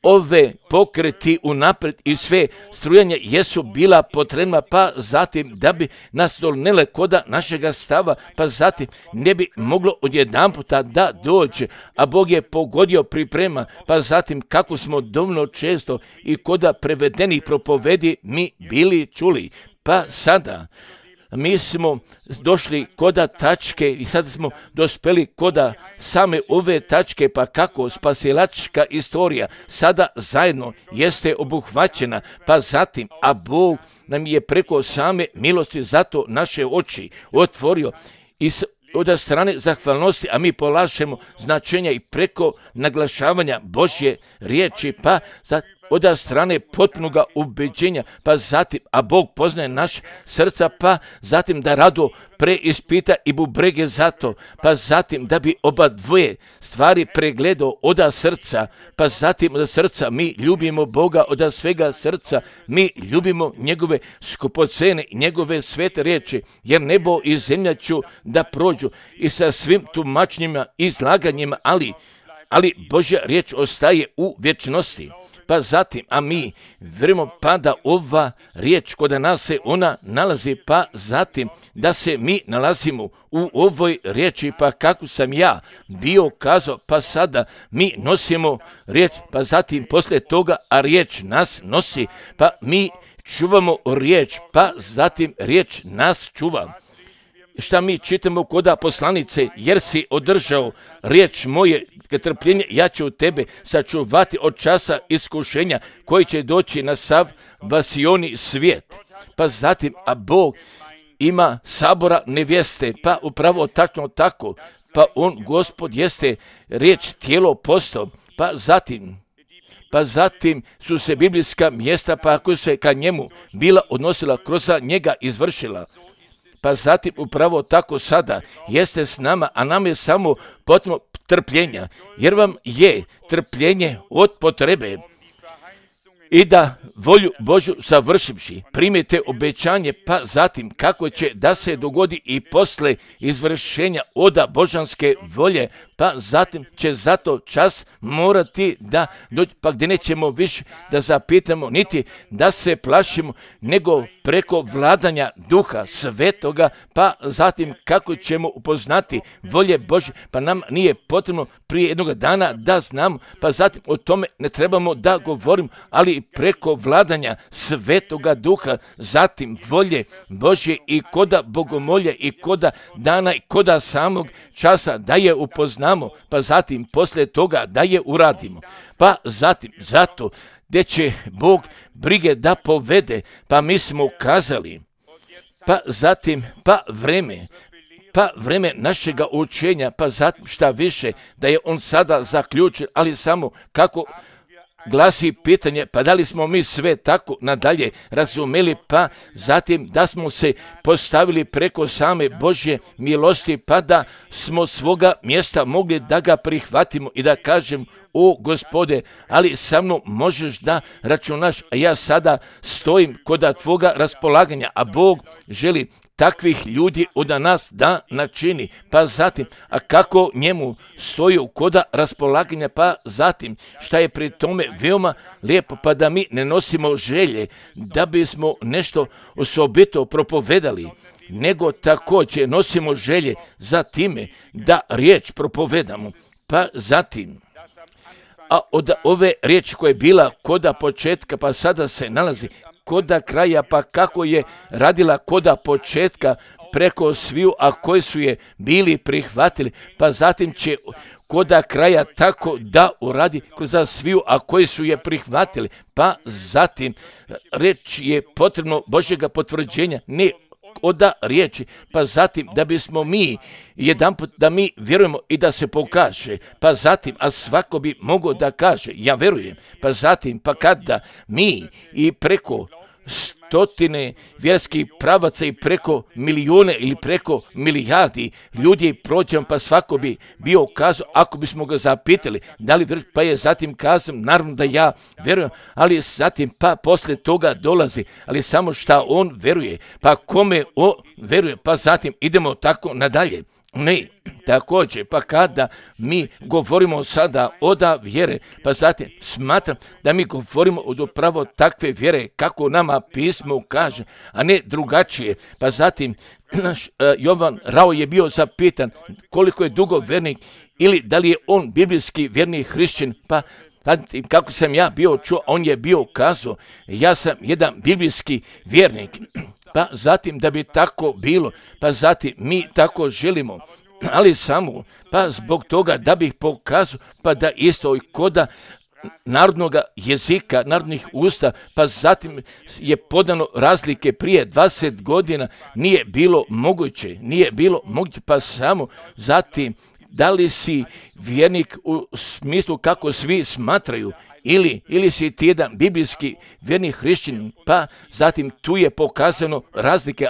ove pokreti unapred i sve strujanje jesu bila potrebna, pa zatim da bi nas donele koda našega stava, pa zatim ne bi moglo odjedanputa da dođe, a Bog je pogodio priprema, pa zatim kako smo dovoljno često i koda prevedenih propovedi mi bili čuli, pa sada mi smo došli koda tačke i sada smo dospeli koda same ove tačke, pa kako spasilačka istorija sada zajedno jeste obuhvaćena, pa zatim, a Bog nam je preko same milosti zato naše oči otvorio i od strane zahvalnosti, a mi polažemo značenja i preko naglašavanja Božje riječi, pa od strane potpunoga ubeđenja, pa zatim, a Bog poznaje naš srca, pa zatim da rado preispita i bubrege zato, pa zatim da bi oba dvoje stvari pregledao od srca, pa zatim od srca mi ljubimo Boga, od svega srca mi ljubimo njegove skupocene i njegove svete riječi, jer nebo i zemlja ću da prođu i sa svim tumačenjima i izlaganjima, ali Božja riječ ostaje u vječnosti. Pa zatim, a mi vjerujemo pa da ova riječ kod nas se ona nalazi, pa zatim da se mi nalazimo u ovoj riječi, pa kako sam ja bio kazao, pa sada mi nosimo riječ, pa zatim poslije toga, a riječ nas nosi, pa mi čuvamo riječ, pa zatim riječ nas čuva. Šta mi čitamo koda poslanice, jer si održao riječ moje trpljenje, ja ću tebe sačuvati od časa iskušenja koji će doći na sav vasioni svijet. Pa zatim, a Bog ima sabora nevjeste, pa upravo tačno tako, pa on, Gospod, jeste riječ tijelo postao, pa zatim su se biblijska mjesta, pa ako se ka njemu bila odnosila, kroz njega izvršila. Pa zatim upravo tako sada jeste s nama, a nam je samo potrebno trpljenja, jer vam je trpljenje od potrebe. i da volju Božju završivši primite obećanje, pa zatim kako će da se dogodi i posle izvršenja oda božanske volje, pa zatim će zato čas morati da dođe, pa gdje nećemo više da zapitamo, niti da se plašimo, nego preko vladanja Duha Svetoga, pa zatim kako ćemo upoznati volje Božje, pa nam nije potrebno prije jednog dana da znamo, pa zatim o tome ne trebamo da govorimo, ali preko vladanja Svetoga Duha, zatim volje Božje i koda bogomolje i koda dana i koda samog časa da je upoznamo, pa zatim poslije toga da je uradimo. Pa zatim zato gdje će Bog brige da povede, pa mi smo ukazali, pa zatim pa vreme našega učenja, pa zatim šta više da je on sada zaključen, ali samo kako glasi pitanje, pa da li smo mi sve tako nadalje razumeli, pa zatim da smo se postavili preko same Božje milosti, pa da smo svoga mjesta mogli da ga prihvatimo i da kažem, o Gospode, ali sa mnom možeš da računaš, a ja sada stojim kod tvoga raspolaganja, a Bog želi takvih ljudi od nas da načini, pa zatim, a kako njemu stoji kod raspolaganja, pa zatim, šta je pri tome veoma lijepo, pa da mi ne nosimo želje da bismo nešto osobito propovedali, nego također nosimo želje za time da riječ propovedamo, pa zatim, a od ove riječi koja je bila koda početka, pa sada se nalazi koda kraja, pa kako je radila koda početka preko sviju, a koji su je bili prihvatili, pa zatim će koda kraja tako da uradi kroz sviju, a koji su je prihvatili, pa zatim reč je potrebno Božjega potvrđenja, ne oda riječi, pa zatim da bismo mi jedanput da mi vjerujemo i da se pokaže, pa zatim, a svako bi mogao da kaže, ja vjerujem, pa zatim, pa kada mi i preko stotine vjerskih pravaca i preko milijune ili preko milijardi ljudi prođemo, pa svako bi bio kazao, ako bismo ga zapitali, da li vjeruješ, pa je zatim kazao, naravno da ja vjerujem, ali zatim pa poslije toga dolazi, ali samo šta on vjeruje, pa kome on vjeruje, pa zatim idemo tako nadalje. Ne, također, pa kada mi govorimo sada od vjere, pa zatim smatram da mi govorimo od upravo takve vjere kako nama pismo kaže, a ne drugačije. Pa zatim naš Jovan Rao je bio zapitan koliko je dugo vjernik ili da li je on biblijski vjerni hrišćan, pa kako sam ja bio čuo, on je bio kazao, ja sam jedan biblijski vjernik, pa zatim da bi tako bilo, pa zatim mi tako želimo, ali samo, pa zbog toga da bih pokazao, pa da isto i koda narodnog jezika, narodnih usta, pa zatim je podano razlike prije 20 godina, nije bilo moguće, pa samo zatim, da li si vjernik u smislu kako svi smatraju ili si ti jedan biblijski vjerni hrišćanin, pa zatim tu je pokazano razlike,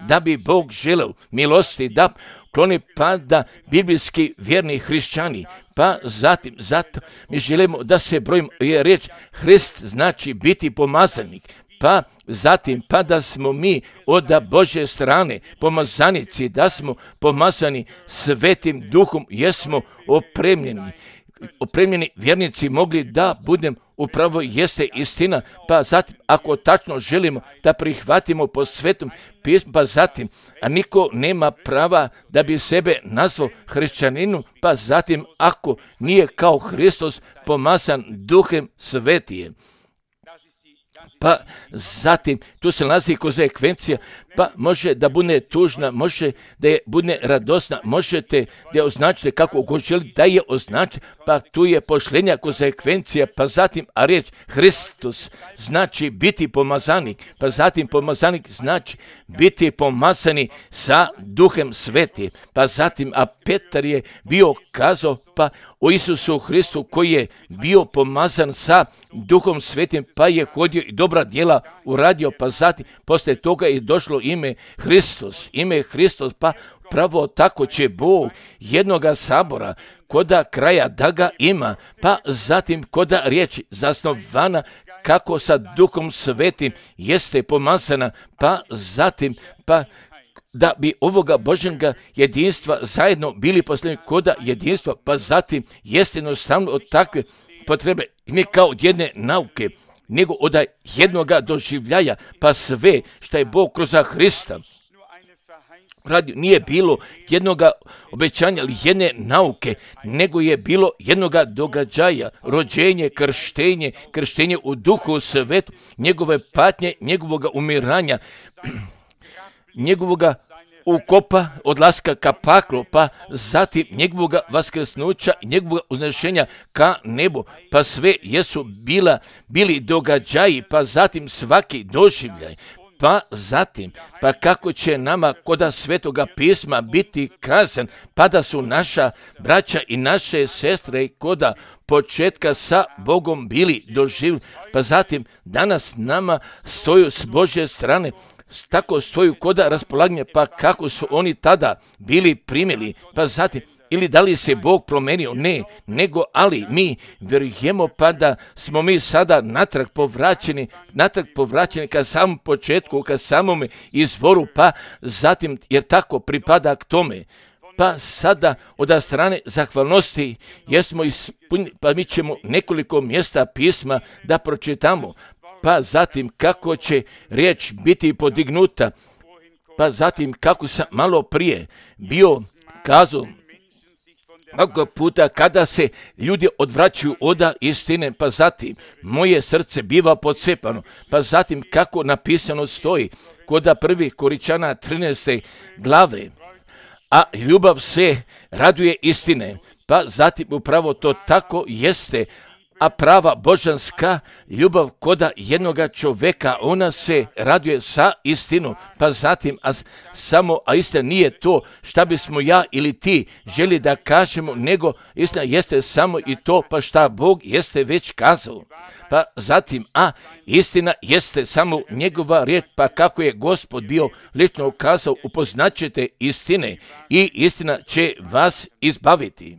da bi Bog želeo milosti da kloni pada biblijski vjerni hrišćani, pa zatim, zato mi želimo da se brojimo, je riječ Hrist znači biti pomazanik, pa zatim, pa da smo mi od Božje strane pomazanici, da smo pomazani Svetim Duhom, jesmo opremljeni vjernici mogli da budem upravo jeste istina, pa zatim ako tačno želimo da prihvatimo po Svetom pismu, pa zatim, a niko nema prava da bi sebe nazvao hrišćaninom, pa zatim ako nije kao Hristos pomazan Duhem Svetijem. Pa zatim, tu se nalazi konsekvencija, pa može da bude tužna, može da je bude radosna, možete da je označite kako god želi da je označite, pa tu je pošlenja konsekvencija, pa zatim, a riječ Hristos znači biti pomazanik, pa zatim pomazanik znači biti pomazani sa Duhem Svetim, pa zatim, a Petar je bio kazao, pa o Isusu Hristu koji je bio pomazan sa Duhom Svetim, pa je hodio i dobra djela uradio, pa zatim poslije toga je došlo ime Hristos, pa pravo tako će Bog jednoga sabora koda kraja da ga ima, pa zatim koda riječi zasnovana kako sa Duhom Svetim jeste pomazana, pa zatim, pa da bi ovoga Božjega jedinstva zajedno bili poslani koda jedinstva, pa zatim jeste jednostavno od takve potrebe, ne kao od jedne nauke, nego od jednoga doživljaja, pa sve što je Bog kroz Hrista radio, nije bilo jednoga obećanja ili jedne nauke, nego je bilo jednoga događaja, rođenje, krštenje u Duhu Svetu, njegove patnje, njegovoga umiranja, njegovoga ukopa, odlaska ka paklu, pa zatim njegovoga vaskrsnuća, njegovoga uznešenja ka nebu, pa sve jesu bili događaji, pa zatim svaki doživljaj, pa zatim, pa kako će nama koda Svetoga pisma biti kazan, pa da su naša braća i naše sestre koda početka sa Bogom bili doživljeni, pa zatim danas nama stoju s Božje strane, tako stoju koda raspolaganja, pa kako su oni tada bili primili, pa zatim, ili da li se Bog promenio? Ne, nego ali mi vjerujemo pa da smo mi sada natrag povraćeni ka samom početku, ka samome izvoru, pa zatim, jer tako pripada k tome. Pa sada od strane zahvalnosti jesmo ispunili, pa mi ćemo nekoliko mjesta pisma da pročitamo, pa zatim kako će riječ biti podignuta, pa zatim kako sam malo prije bio kazao, mnogo puta kada se ljudi odvraćaju od istine, pa zatim moje srce biva podsepano, pa zatim kako napisano stoji kod 1. Koričana 13. glave, a ljubav se raduje istine, pa zatim upravo to tako jeste, a prava božanska ljubav koda jednoga čovjeka, ona se raduje sa istinom, pa zatim, a istina nije to šta bismo ja ili ti želi da kažemo, nego istina jeste samo i to, pa šta Bog jeste već kazao. Pa zatim, a istina jeste samo njegova riječ, pa kako je Gospod bio lično ukazao, upoznaćete istine i istina će vas izbaviti.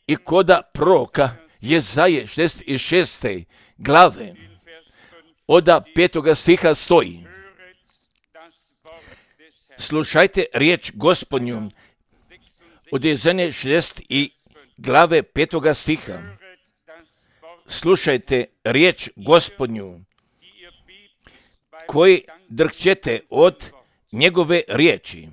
I koda proroka Jezaje 66. glave od 5. stiha stoji: slušajte riječ Gospodnju, od Jezaje 60. glave 5. stiha. Slušajte riječ Gospodnju, koji drhćete od njegove riječi.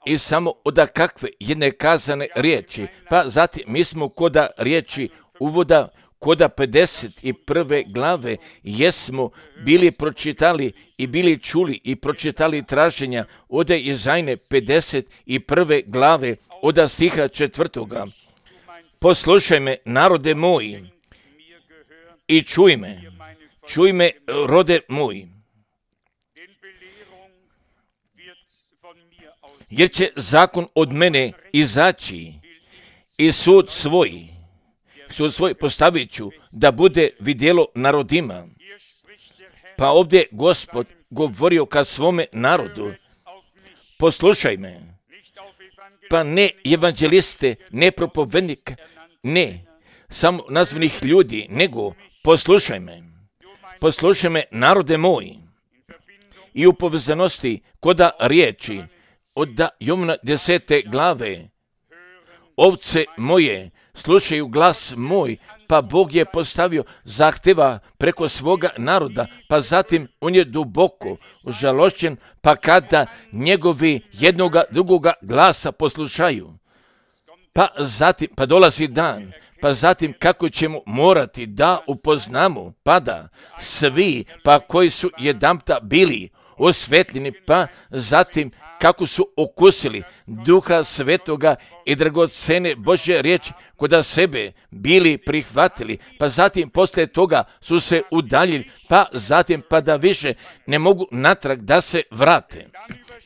I samo od kakve jedne kazane riječi, pa zatim mi smo koda riječi uvoda, koda 51. glave, jesmo bili pročitali i bili čuli i pročitali traženja od Jezajne 51. glave, od stiha 4. Poslušaj me, narode moji, i čuj me, rode moji. Jer će zakon od mene izaći i sud svoj postavit ću da bude vidjelo narodima. Pa ovdje Gospod govorio ka svome narodu, poslušaj me, pa ne evanđeliste, ne propovednika, ne samo nazvanih ljudi, nego poslušaj me, narode moji. I u povezanosti koda riječi od Jovana 10. glave, ovce moje slušaju glas moj, pa Bog je postavio zahtjeva preko svoga naroda, pa zatim on je duboko užalošćen, pa kada njegovi jednoga drugoga glasa poslušaju, pa zatim, pa dolazi dan, pa zatim kako ćemo morati da upoznamo, pa da svi, pa koji su jedanputa bili osvetljeni, pa zatim kako su okusili Duha Svetoga i dragocene Božje riječi koda sebe bili prihvatili, pa zatim poslije toga su se udaljili, pa zatim pa da više ne mogu natrag da se vrate.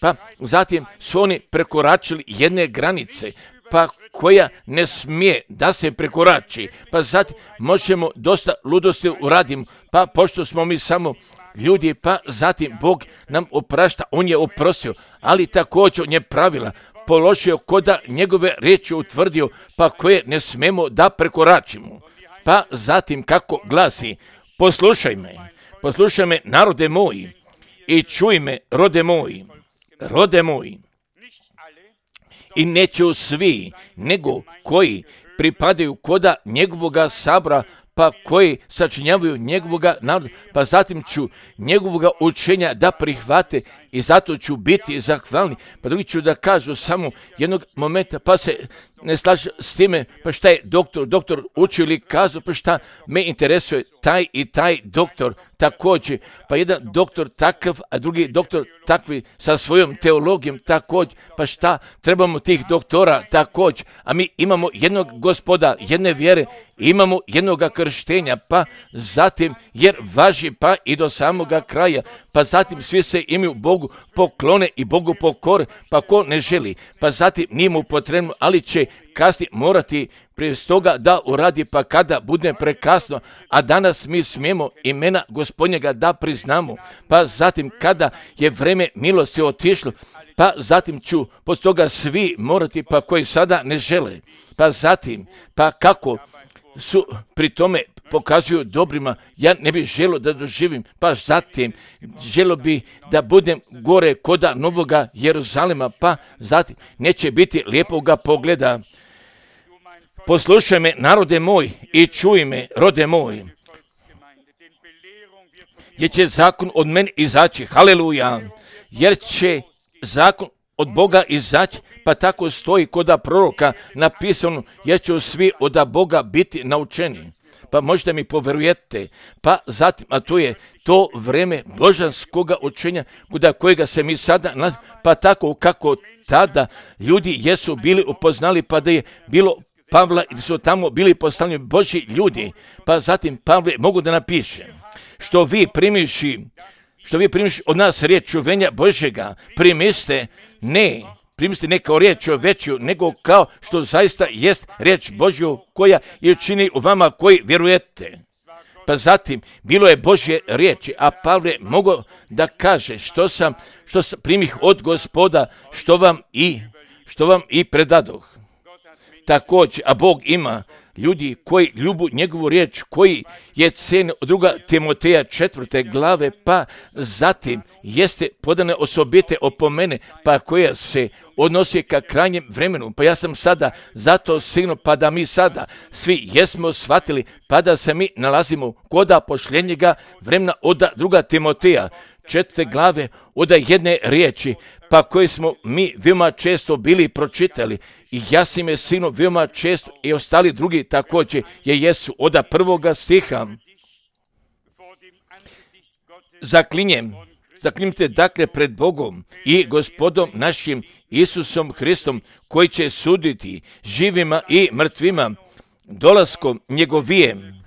Pa zatim su oni prekoračili jedne granice, pa koja ne smije da se prekorači, pa zatim možemo dosta ludosti uraditi, pa pošto smo mi samo ljudi, pa zatim Bog nam oprašta, on je oprostio, ali također on je pravila položio koda njegove riječi utvrdio, pa koje ne smemo da prekoračimo. pa zatim kako glasi, poslušaj me narode moji i čuj me rode moji. I neće svi, nego koji pripadaju koda njegovoga sabora, pa koji sačinjavaju njegovoga naroda, pa zatim ću njegovoga učenja da prihvate i zato ću biti zahvalni. Pa drugi ću da kažu samo jednog momenta, pa se ne slaže s time, pa šta je doktor učio ili kazao, pa šta me interesuje taj i taj doktor također, pa jedan doktor takav, a drugi doktor takvi sa svojom teologijom također, pa šta trebamo tih doktora također, a mi imamo jednog Gospoda, jedne vjere, imamo jednoga krštenja, pa zatim jer važi pa i do samoga kraja, pa zatim svi se imaju Bogu poklone i Bogu pokore, pa ko ne želi, pa zatim nije mu potrebno, ali će kasnije morati prije toga da uradi, pa kada bude prekasno, a danas mi smijemo imena Gospodnjega da priznamo, pa zatim kada je vreme milosti otišlo, pa zatim ću poslije toga svi morati, pa koji sada ne žele, pa zatim, pa kako su pri tome pokazuju dobrima, ja ne bih želio da doživim, pa zatim želio bi da budem gore koda Novoga Jeruzalema, pa zatim neće biti lijepoga pogleda. Poslušaj me narode moj i čuj me rode moj, jer će zakon od mene izaći, haleluja, jer će zakon od Boga izaći, pa tako stoji koda proroka napisano, jer će svi od Boga biti naučeni. Pa možda mi poverujete, pa zatim, a to je to vreme božanskoga učenja, kuda kojega se mi sada, pa tako kako tada ljudi jesu bili upoznali, pa da je bilo Pavla i su tamo bili poslani Božji ljudi, pa zatim Pavle mogu da napiše, što vi primiši od nas riječ čuvenja Božjega, primiste ne kao riječ veću, nego kao što zaista jest riječ Božju koja je učini u vama koji vjerujete. Pa zatim, bilo je Božje riječi, a Pavle mogao da kaže što sam primih od Gospoda, što vam i predadoh. Također, a Bog ima ljudi koji ljubu njegovu riječ, koji je cene od 2. Timoteja 4. glave, pa zatim jeste podane osobite opomene, pa koja se odnosi ka krajnjem vremenu. Pa ja sam sada zato sigurno, pa da mi sada svi jesmo shvatili, pa da se mi nalazimo koda pošljenjega vremena od 2. Timoteja 4. glave, od jedne riječi, pa koje smo mi veoma često bili pročitali, i ja sam je sigurno veoma često i ostali drugi također jesu od 1. stiha. Zaklinjte dakle pred Bogom i Gospodom našim Isusom Hristom, koji će suditi živima i mrtvima dolaskom njegovijem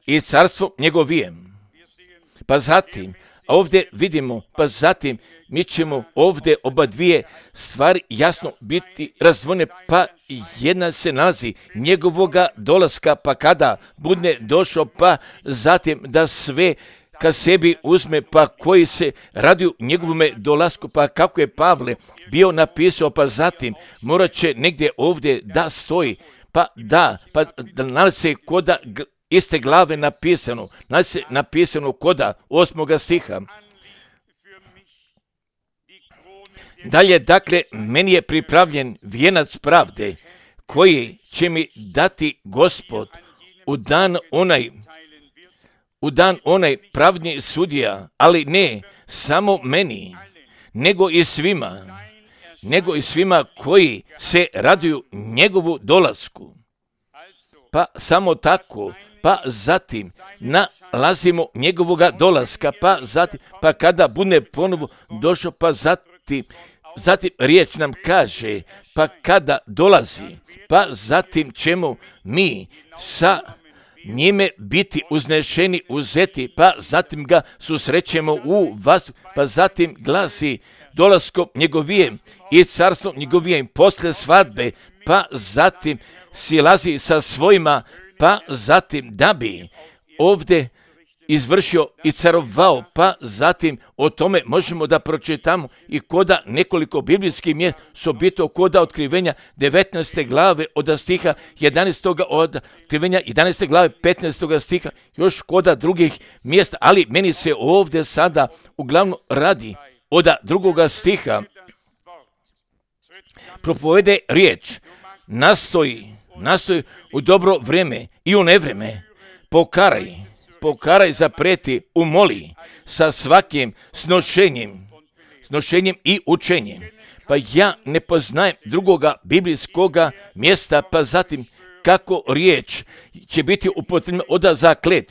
i carstvom njegovijem. Pa zatim, a ovdje vidimo, pa zatim mi ćemo ovdje oba dvije stvari jasno biti razdvojene, pa jedna se nalazi njegovoga dolaska, pa kada bude došao, pa zatim da sve ka sebi uzme, pa koji se radi u njegovome dolasku, pa kako je Pavle bio napisao, pa zatim morat će negdje ovdje da stoji, pa da nalazi se koda iste glave napisano koda 8. stiha. Dalje, dakle, meni je pripravljen vijenac pravde, koji će mi dati Gospod u dan onaj pravdni sudija, ali ne samo meni, nego i svima koji se raduju njegovu dolasku. Pa samo tako, pa zatim nalazimo njegovoga dolaska, pa zatim, pa kada bude ponovo došao, pa zatim riječ nam kaže, pa kada dolazi, pa zatim ćemo mi sa njime biti uznešeni, uzeti, pa zatim ga susrećemo u vas, pa zatim glasi dolaskom njegovijem i carstvom njegovijem posle svadbe, pa zatim silazi sa svojima, pa zatim da bi ovdje izvršio i carovao, pa zatim o tome možemo da pročitamo i koda nekoliko biblijskih mjesta su bito koda otkrivenja 19. glave od stiha 11. od otkrivenja 11. glave 15. stiha, još koda drugih mjesta, ali meni se ovdje sada uglavnom radi od drugoga stiha. Propovede riječ, nastoji u dobro vrijeme i u nevreme, pokaraj, zapreti, umoli sa svakim snošenjem i učenjem. Pa ja ne poznajem drugoga biblijskoga mjesta, pa zatim kako riječ će biti upotrebna od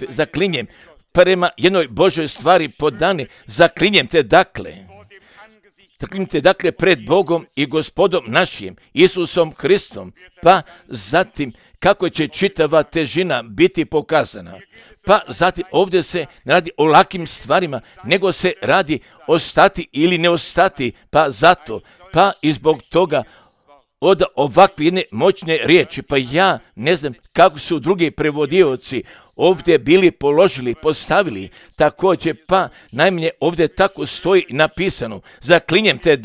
zaklinjem prema jednoj Božoj stvari podane, zaklinjem te dakle pred Bogom i Gospodom našim, Isusom Hristom, pa zatim kako će čitava težina biti pokazana. Pa zatim ovdje se ne radi o lakim stvarima, nego se radi ostati ili ne ostati, pa zato, pa i zbog toga od ovakve jedne moćne riječi, pa ja ne znam kako su drugi prevodioci ovdje bili postavili, također, pa najmanje ovdje tako stoji napisano, zaklinjem te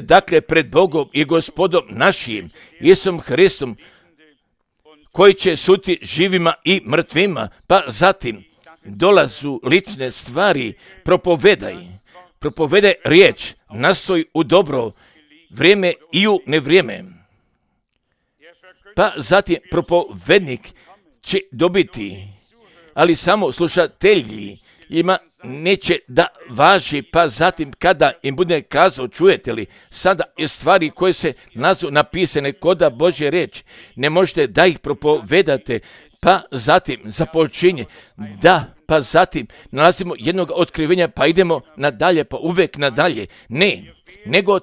dakle pred Bogom i Gospodom našim, Isusom Hristom, koji će suditi živima i mrtvima, pa zatim dolazu lične stvari, propovedaj riječ, nastoj u dobro vrijeme i u nevrijeme. Pa zatim propovednik će dobiti, ali samo slušatelji ima neće da važi, pa zatim kada im bude kazao, čujete li, sada je stvari koje se napisane koda Božje riječi, ne možete da ih propovedate, pa zatim započinje, pa zatim nalazimo jednog otkrivenja, pa idemo nadalje, pa uvek nadalje. Ne, nego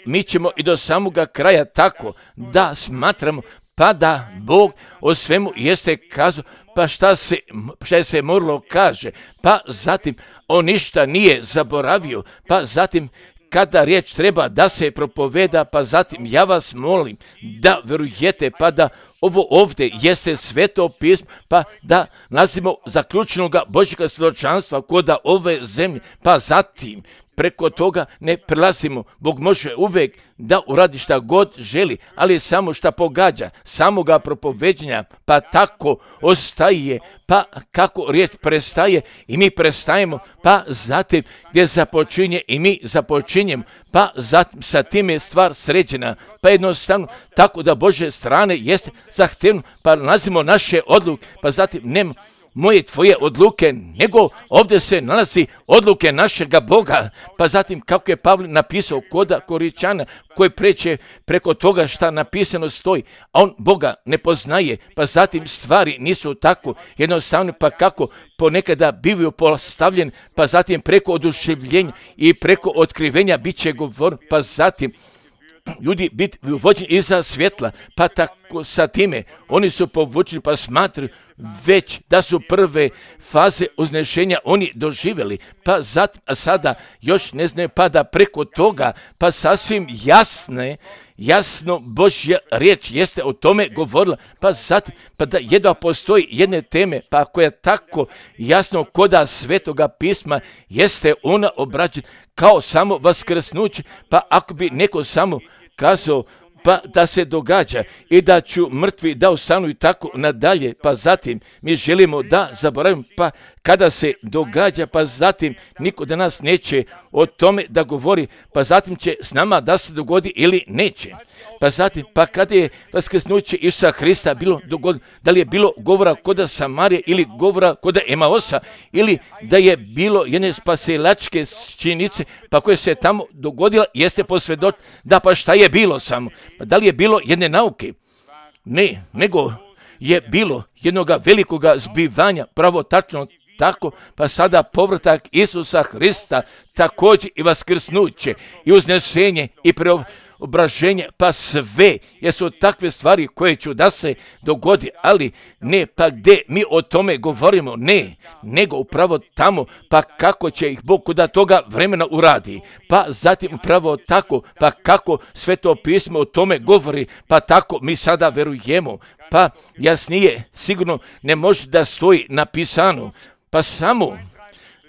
mi ćemo i do samoga kraja tako da smatramo, pa da Bog o svemu jeste kazao, pa šta se moralo kaže, pa zatim on ništa nije zaboravio, pa zatim kada riječ treba da se propoveda, pa zatim ja vas molim da verujete, pa da ovo ovdje jeste sveto pismo, pa da nalazimo zaključenoga Božjega svjedočanstva koda ove zemlje, pa zatim preko toga ne prelazimo. Bog može uvijek da uradi šta god želi, ali samo šta pogađa samoga propoveđenja, pa tako ostaje, pa kako riječ prestaje i mi prestajemo, pa zatim gdje započinje i mi započinjemo, pa zatim sa tim je stvar sređena, pa jednostavno tako da Božje strane jeste zahtevno, pa nalazimo naše odluke, pa zatim nema moje tvoje odluke, nego ovdje se nalazi odluke našega Boga, pa zatim kako je Pavle napisao koda Koričana, koji preće preko toga šta napisano stoji, a on Boga ne poznaje, pa zatim stvari nisu tako jednostavne, pa kako ponekada bivaju postavljeni, pa zatim preko oduševljenja i preko otkrivenja bit će govor, pa zatim ljudi biti vođeni iza svjetla, pa tako sa time oni su povučeni, pa smatraju već da su prve faze uznešenja oni doživjeli, pa zatim, a sada još ne znaju, pa da preko toga, pa sasvim jasno Božja riječ jeste o tome govorila, pa zatim, pa da jedva postoji jedne teme, pa koja tako jasno koda svetoga pisma jeste ona obrađena kao samo vaskrsnuće, pa ako bi neko samo kazao, pa da se događa i da ću mrtvi da ostanu i tako nadalje, pa zatim mi želimo da zaboravimo, pa kada se događa, pa zatim niko da nas neće o tome da govori, pa zatim će s nama da se dogodi ili neće. Pa zatim, pa kada je vaskrsnuće Isusa Hrista bilo dogodilo, da li je bilo govora koda Samarije ili govora koda Emaosa, ili da je bilo jedne spasilačke činjenice, pa koje se tamo dogodila, jeste posvjedoč da pa šta je bilo samo. Pa da li je bilo jedne nauke? Ne, nego je bilo jednoga velikoga zbivanja, pravo tačno tako, pa sada povratak Isusa Hrista, također i vaskrsnuće i uznesenje i obraženje, pa sve, jesu takve stvari koje ću da se dogodi, ali ne, pa gdje mi o tome govorimo, ne, nego upravo tamo, pa kako će ih Bog kuda toga vremena uradi, pa zatim upravo tako, pa kako Sveto pismo o tome govori, pa tako mi sada verujemo, pa jasnije sigurno ne može da stoji napisano, pa samo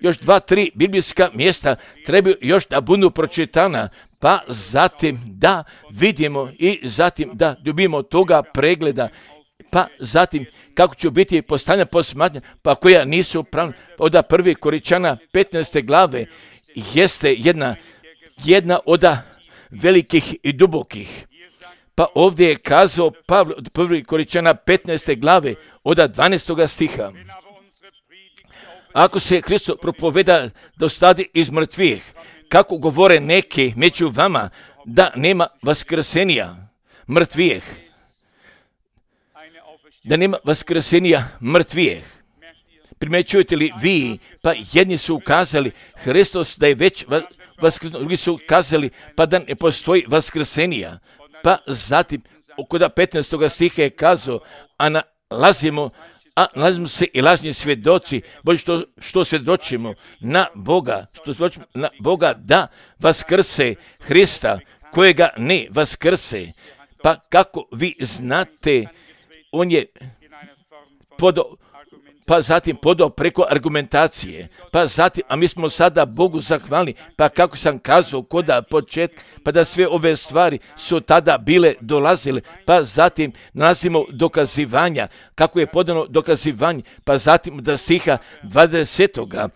još 2-3 biblijska mjesta trebaju još da budu pročitana, pa zatim da vidimo i zatim da dobijemo toga pregleda, pa zatim kako će biti postavljena posmatranja, pa koja nisu pravna. Od 1. Korinćana 15. glave jeste jedna od velikih i dubokih. Pa ovdje je kazao Pavle od 1. Korinćana 15. glave od 12. stiha. Ako se Hristos propoveda da ostade iz mrtvih, kako govore neki među vama da nema vaskrsenja mrtvih, da nema vaskrsenja mrtvih. Primjećujete li vi, pa jedni su ukazali Hristos da je već vaskrsnuo, drugi su ukazali pa da ne postoji vaskrsenja. Pa zatim, kod 15. stiha je kazao, a nalazimo se i lažni svjedoci, bolje što svjedočimo na Boga, da vaskrse Hrista, kojega ne vaskrse. Pa kako vi znate, on je podao preko argumentacije, pa zatim, a mi smo sada Bogu zahvalni, pa kako sam kazao kod početka, pa da sve ove stvari su tada bile dolazile, pa zatim nalazimo dokazivanja, kako je podano dokazivanje, pa zatim da stiha 20.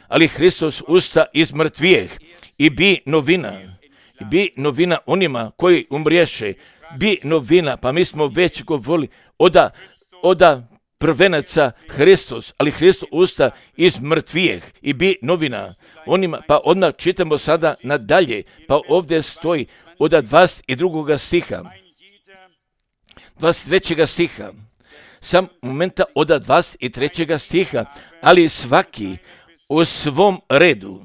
Ali Hristos usta iz mrtvijeh i bi novina onima koji umriješe, bi novina, pa mi smo već govorili oda prvenaca Hristos, ali Hristos usta iz mrtvijeh i bi novina onima, pa odmah čitamo sada nadalje, pa ovdje stoji od 22. stiha, 23. stiha, sam momenta od 23. stiha, ali svaki u svom redu,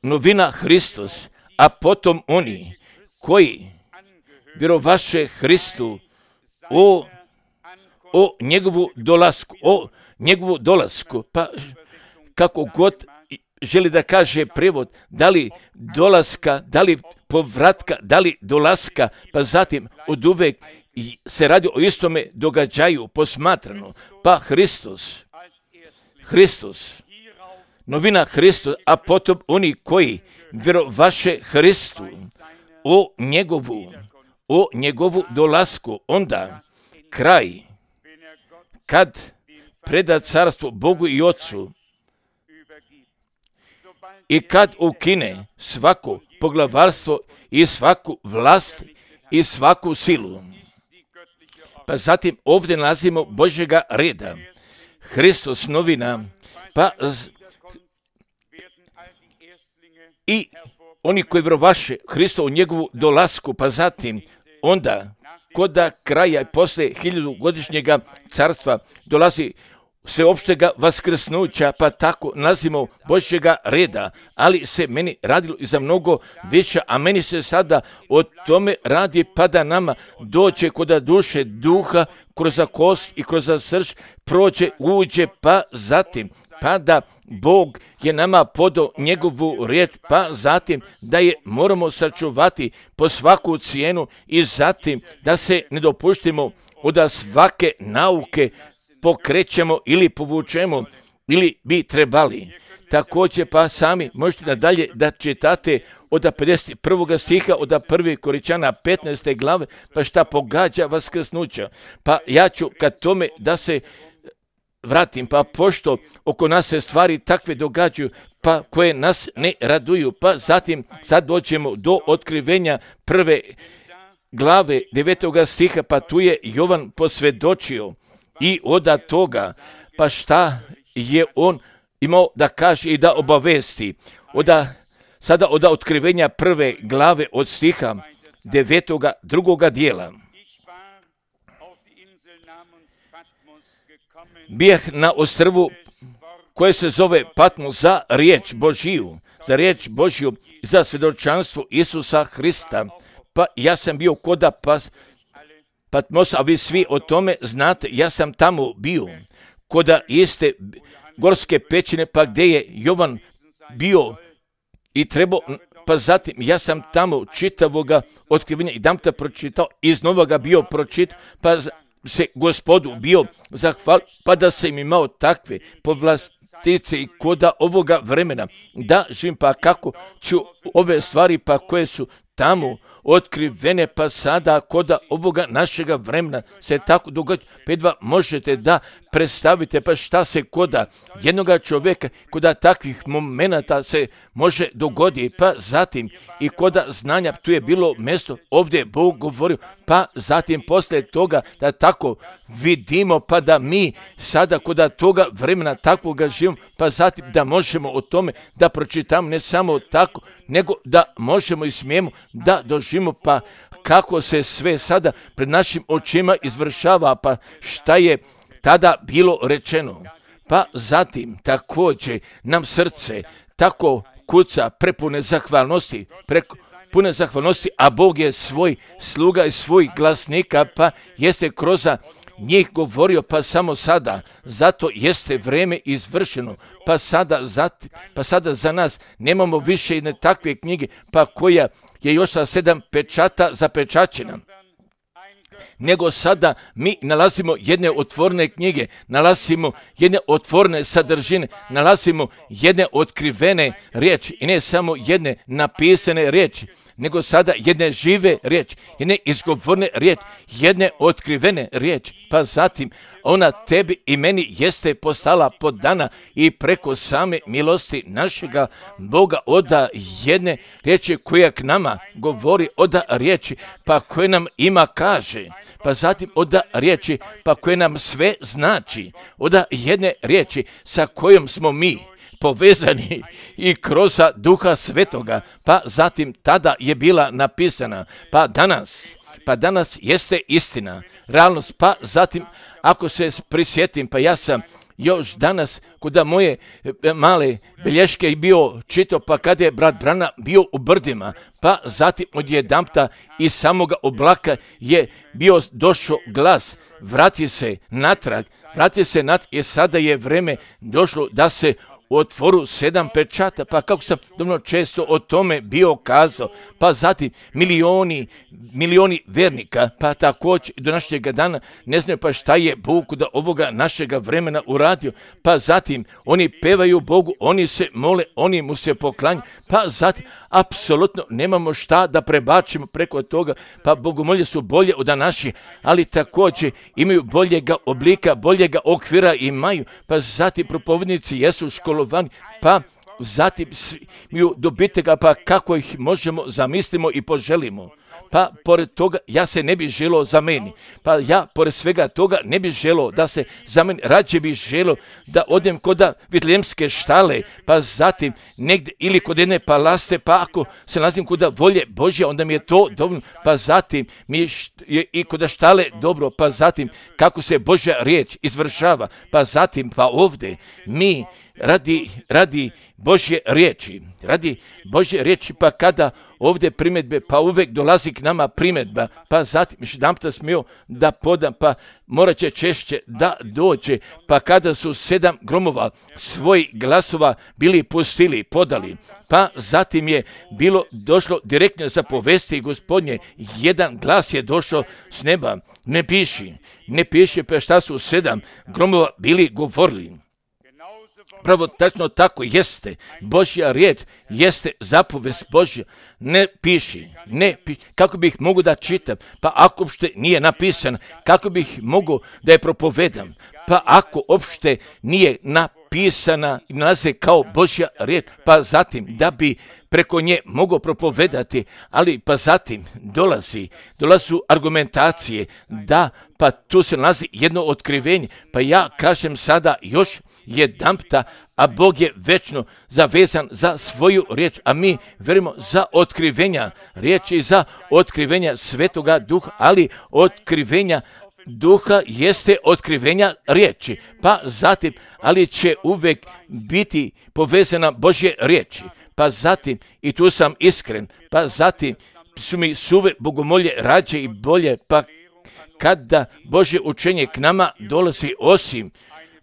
novina Hristos, a potom oni koji vjerovaše Hristu o njegovu dolasku, pa kako god želi da kaže prevod, da li dolaska, da li povratka, da li dolaska, pa zatim od uvek se radi o istome događaju posmatrano, pa Hristos, novina Hristos, a potom oni koji vjerovaše Hristu o njegovu dolasku, onda kraj, kad preda carstvo Bogu i Otcu i kad ukine svako poglavarstvo i svaku vlast i svaku silu. Pa zatim ovdje nalazimo Božjega reda, Hristos novina, pa i oni koji vjerovaše Hristo u njegovu dolasku, pa zatim onda kod kraja i posle 1000-godišnjega carstva dolazi sveopštega vaskrsnuća, pa tako nalazimo Božjega reda, ali se meni radilo i za mnogo više, a meni se sada o tome radi, pa da nama dođe kod duše duha, kroz kost i kroz srž, prođe, uđe, pa zatim, pa da Bog je nama podao njegovu riječ, pa zatim da je moramo sačuvati po svaku cijenu i zatim da se ne dopuštimo od svake nauke pokrećemo ili povučemo ili bi trebali. Također pa sami možete nadalje da čitate od 51. stiha, od 1. Korinćana 15. glave, pa šta pogađa vaskrsnuća. Pa ja ću kad tome da se vratim, pa pošto oko nas se stvari takve događaju, pa koje nas ne raduju, pa zatim sad dođemo do otkrivenja 1. glave 9. stiha, pa tu je Jovan posvjedočio i od toga, pa šta je on imao da kaže i da obavesti. Sada od otkrivenja 1. glave od stiha 9. drugog dijela. Bijeh na ostrvu koje se zove Patmos za riječ Božiju, za riječ Božju, za svjedočanstvo Isusa Hrista. Pa ja sam bio koda Patmos, a vi svi o tome znate, ja sam tamo bio, koda iste gorske pećine, pa gdje je Jovan bio i trebao, pa zatim ja sam tamo čitavoga otkrivenja i dam te pročitao, iznova ga bio pročitao, pa se Gospodu bio zahvalio, pa da sam imao takve povlastice i koda ovoga vremena, da živim, pa kako ću ove stvari, pa koje su tamo otkrivene, pa sada koda ovoga našega vremena se tako događa, pa jedva možete da predstavite, pa šta se koda jednoga čovjeka, koda takvih momenata se može dogoditi, pa zatim i koda znanja, tu je bilo mjesto, ovdje je Bog govorio, pa zatim poslije toga da tako vidimo, pa da mi sada koda toga vremena takvoga živimo, pa zatim da možemo o tome da pročitamo, ne samo tako, nego da možemo i smijemo da doživimo, pa kako se sve sada pred našim očima izvršava, pa šta je tada bilo rečeno. Pa zatim također nam srce tako kuca prepune zahvalnosti, a Bog je svoj sluga i svoj glasnika, pa jeste kroz njih govorio, pa samo sada, zato jeste vrijeme izvršeno, pa sada za nas nemamo više jedne takve knjige, pa koja je još sa 7 pečata zapečaćena, nego sada mi nalazimo jedne otvorene knjige, nalazimo jedne otvorene sadržine, nalazimo jedne otkrivene riječi i ne samo jedne napisane riječi, nego sada jedne žive riječi, jedne izgovorne riječi, jedne otkrivene riječi, pa zatim ona tebi i meni jeste postala podana i preko same milosti našega Boga oda jedne riječi koja k nama govori, oda riječi pa koje nam ima kaže, pa zatim oda riječi pa koje nam sve znači, oda jedne riječi sa kojom smo mi povezani i kroz Duha Svetoga, pa zatim tada je bila napisana, pa danas jeste istina, realnost, pa zatim ako se prisjetim, pa ja sam još danas kuda moje male bilješke bio čitao, pa kada je brat Brana bio u brdima, pa zatim odjedanput iz samoga oblaka je bio došao glas, vrati se natrag i sada je vrijeme došlo da se otvoru 7 pečata, pa kako sam dovoljno često o tome bio kazao, pa zatim milioni vernika, pa također do našega dana ne znaju pa šta je Bog da ovoga našega vremena uradio, pa zatim oni pevaju Bogu, oni se mole, oni mu se poklanjaju, pa zatim apsolutno nemamo šta da prebačimo preko toga, pa bogomolje su bolje od naših, ali također imaju boljega oblika, boljega okvira imaju, pa zatim propovednici jesu školovani, pa zatim imaju dobitega, pa kako ih možemo zamislimo i poželimo. Pa pored toga ja se ne bih želio za meni, pa ja pored svega toga ne bih želio da se za meni, rađe bih želio da odem kod Vitlejemske štale, pa zatim negdje ili kod jedne palaste, pa ako se nalazim kod volje Božje, onda mi je to dovoljno, pa zatim mi je i kod štale dobro, pa zatim kako se Božja riječ izvršava, pa zatim pa ovdje mi radi Božje riječi, pa kada ovdje primjedbe, pa uvijek dolazi k nama primjedba, pa zatim još jedanput smio da podam, pa morat će češće da dođe, pa kada su 7 gromova svojih glasova bili pustili, podali, pa zatim je bilo došlo direktno za povesti Gospodnje, jedan glas je došao s neba, ne piši, pa šta su 7 gromova bili govorili. Pravo tačno tako jeste, Božja riječ jeste zapovest Božja, ne piši, kako bih mogu da čitam, pa ako uopšte nije napisan, kako bih mogu da je propovedam, pa ako uopšte nije napisana i nalaze kao Božja riječ, pa zatim da bi preko nje mogu propovedati, ali pa zatim dolazu argumentacije, da pa tu se nalazi jedno otkrivenje, pa ja kažem sada još jedanputa, a Bog je večno zavezan za svoju riječ, a mi verimo za otkrivenja riječi, za otkrivenja Svetoga Duha, ali otkrivenja duha jeste otkrivenja riječi, pa zatim, ali će uvijek biti povezana Božje riječi, pa zatim, i tu sam iskren, pa zatim su mi suve bogomolje rađe i bolje, pa kada Božje učenje k nama dolazi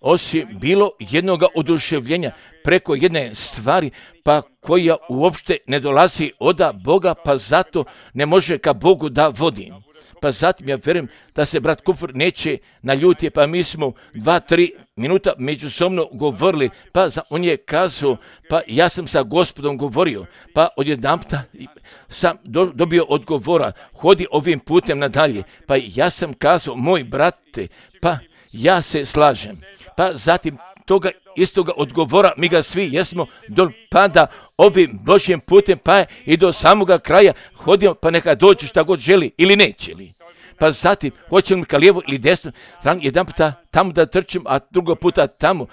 osim bilo jednoga oduševljenja preko jedne stvari, pa koja uopšte ne dolazi od Boga, pa zato ne može ka Bogu da vodi. Pa zatim ja vjerujem da se brat Kupfer neće naljuti, pa mi smo 2-3 minuta međusobno govorili, pa on je kazao, pa ja sam sa Gospodom govorio, pa odjedanputa sam dobio odgovora, hodi ovim putem nadalje, pa ja sam kazao, moj brate, pa ja se slažem, pa zatim toga istoga odgovora mi ga svi jesmo pada ovim Božjim putem, pa i do samoga kraja hodimo, pa neka dođe šta god želi ili neće li. Pa zatim, hoće li ka lijevo ili desno, jedan puta tamo da trčim, a drugo puta tamo,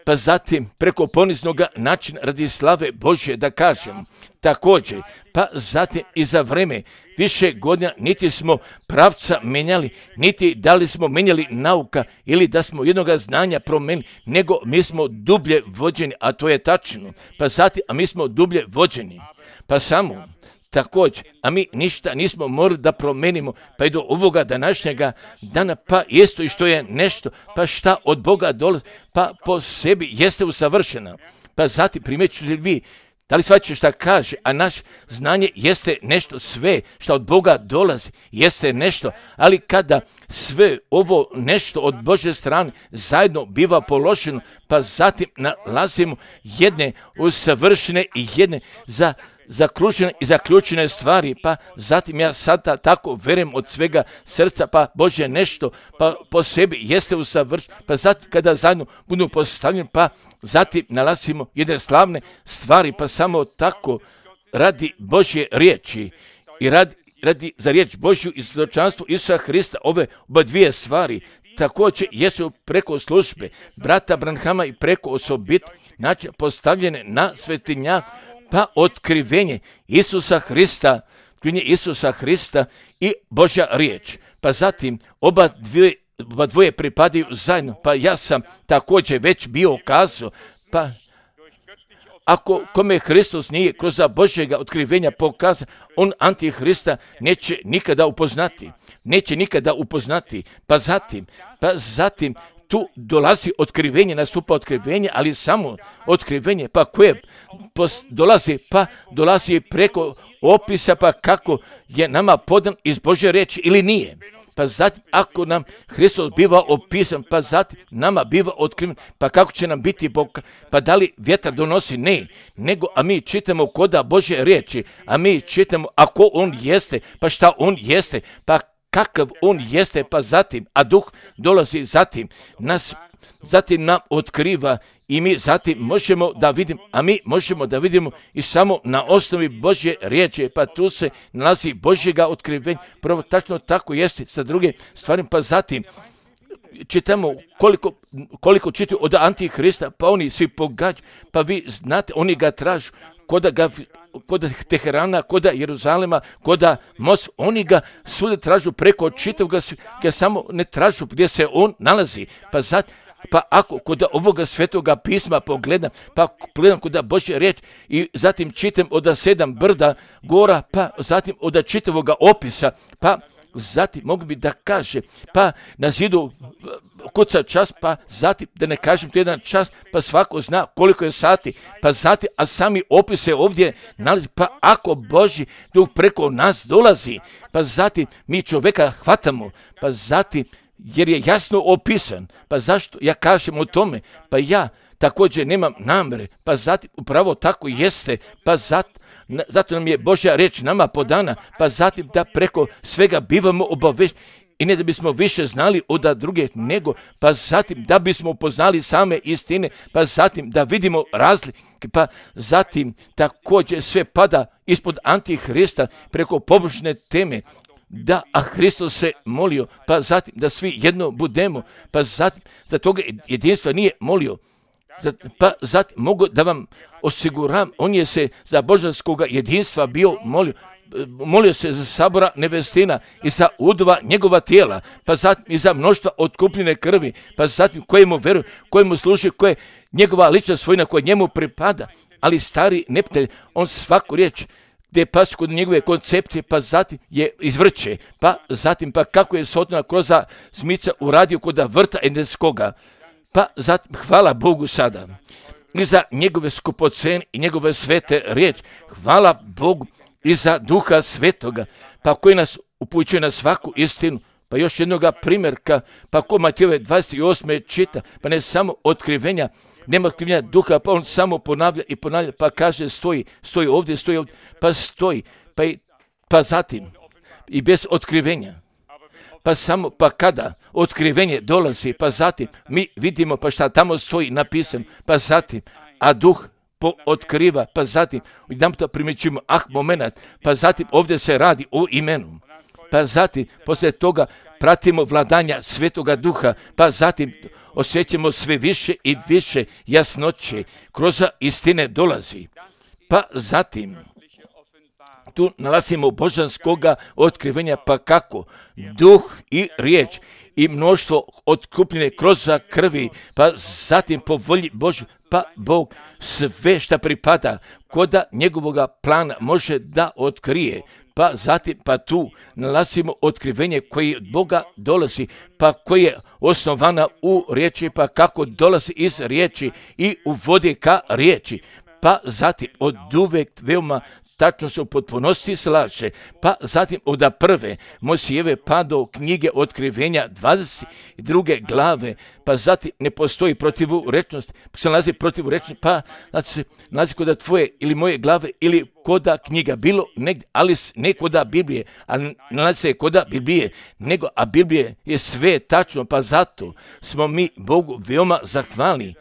pa zatim preko poniznog načina radi slave Božje da kažem. Također, pa zatim i za vreme više godina niti smo pravca menjali, niti da li smo menjali nauka ili da smo jednoga znanja promenili, nego mi smo dublje vođeni, a to je tačno. Pa zatim, a mi smo dublje vođeni, pa samo također, a mi ništa nismo morali da promenimo, pa i do ovoga današnjega dana, pa isto i što je nešto, pa šta od Boga dolazi, pa po sebi jeste usavršena. Pa zatim primjećujete li vi, da li shvaćate šta kaže, a naš znanje jeste nešto, sve što od Boga dolazi jeste nešto, ali kada sve ovo nešto od Božje strane zajedno biva položeno, pa zatim nalazimo jedne usavršene i jedne zakružene i zaključene stvari, pa zatim ja sada tako verujem od svega srca, pa Bože nešto, pa po sebi jeste usavršeno, pa zatim kada zajedno budu postavljeni, pa zatim nalazimo jedne slavne stvari, pa samo tako radi Božje riječi i radi za riječ Božju i svjedočanstvo Isusa Hrista, ove oba dvije stvari također jesu preko službe brata Branhama i preko osobit način postavljene na svetinjak, pa otkrivenje Isusa Hrista i Božja riječ. Pa zatim oba dvoje pripadaju zajedno, pa ja sam također već bio kazao, pa ako kome Hristos nije kroz Božjega otkrivenja pokazao, on Antihrista neće nikada upoznati. Pa zatim tu dolazi otkrivenje, nastupa otkrivenje, ali samo otkrivenje, pa koje dolazi preko opisa, pa kako je nama podan iz Božje riječi ili nije. Pa zatim, ako nam Hristos biva opisan, pa zatim nama biva otkriven, pa kako će nam biti Bog, pa da li vjetar donosi? Ne, nego, a mi čitamo koda Božje riječi, a mi čitamo ako on jeste, pa šta on jeste, pa kakav on jeste, pa zatim, a duh dolazi zatim nam otkriva i mi zatim možemo da vidimo i samo na osnovi Božje riječi, pa tu se nalazi Božjega otkrivenja, prvo tačno tako jeste sa drugim stvarima, pa zatim čitamo koliko čitaju od Antihrista, pa oni svi pogađaju, pa vi znate, oni ga tražu, kod Teherana, kod Jeruzalema, kod Most, oni ga svuda tražu preko čitavog svijeta, samo ne tražu gdje se on nalazi. Pa ako kod ovoga svetoga pisma pogledam, pa pogledam kod Božje riječ i zatim čitam od 7 brda gora, pa zatim od čitavoga opisa, pa zatim mogu bi da kaže, pa na zidu kuca čas, pa zatim da ne kažem to jedan čas, pa svako zna koliko je sati, pa zatim, a sami opise ovdje nalazi, pa ako Božji duh preko nas dolazi, pa zatim mi čovjeka hvatamo, pa zatim jer je jasno opisan, pa zašto ja kažem o tome, pa ja također nemam namere, pa zatim upravo tako jeste, pa zato nam je Božja riječ nama podana, pa zatim da preko svega bivamo obavešteni i ne da bismo više znali od druge, nego pa zatim da bismo upoznali same istine, pa zatim da vidimo razlike, pa zatim također sve pada ispod Antihrista preko pobožne teme, da, a Hristos se molio, pa zatim da svi jedno budemo, pa zatim za toga jedinstva nije molio, pa zatim mogu da vam osiguram, on je se za božanskog jedinstva bio molio, molio se za sabora nevestina i za udova njegova tijela, pa zatim i za mnoštva otkupljene krvi, pa zatim kojemu veruje, kojemu služi, koje njegova lična svojina koja njemu pripada. Ali stari neprijatelj, on svaku riječ gdje pas kod njegove koncepcije, pa zatim je izvrće, pa zatim pa kako je Sotona kroz zmica uradio kod vrta Edenskoga, pa zatim hvala Bogu sada i za njegove skupocene i njegove svete riječ, hvala Bogu i za Duha Svetoga, pa koji nas upućuje na svaku istinu. Pa još jednoga primjerka, pa ko Matejove 28. čita, pa ne samo otkrivenja, nema otkrivenja Duha, pa on samo ponavlja i ponavlja, pa kaže stoji ovdje, pa stoji, pa zatim i bez otkrivenja. Pa samo, pa kada otkrivenje dolazi, pa zatim mi vidimo pa šta tamo stoji napisano, pa zatim, a Duh otkriva, pa zatim, jedan to primjećujemo, moment, pa zatim ovdje se radi o imenu, pa zatim, poslije toga pratimo vladanja Svetoga Duha, pa zatim osjećamo sve više i više jasnoće, kroz istine dolazi, pa zatim, tu nalazimo božanskoga otkrivenja, pa kako? Duh i riječ i mnoštvo otkupljene kroz krvi, pa zatim po volji Božju, pa Bog sve šta pripada koda njegovoga plana može da otkrije. Pa zatim, pa tu nalazimo otkrivenje koje od Boga dolazi, pa koje je osnovana u riječi, pa kako dolazi iz riječi i uvodi ka riječi. Pa zatim od uvek veoma tačno se u potpunosti slaže, pa zatim od prve Mojsijeve pa do knjige otkrivenja 22. glave, pa zatim ne postoji protivurečnost, pa se nalazi protivurečnost, pa se nalazi koda tvoje ili moje glave ili koda knjiga, bilo negdje, ali ne koda Biblije, a nalazi se koda Biblije, nego, a Biblije je sve tačno, pa zato smo mi Bogu veoma zahvalni.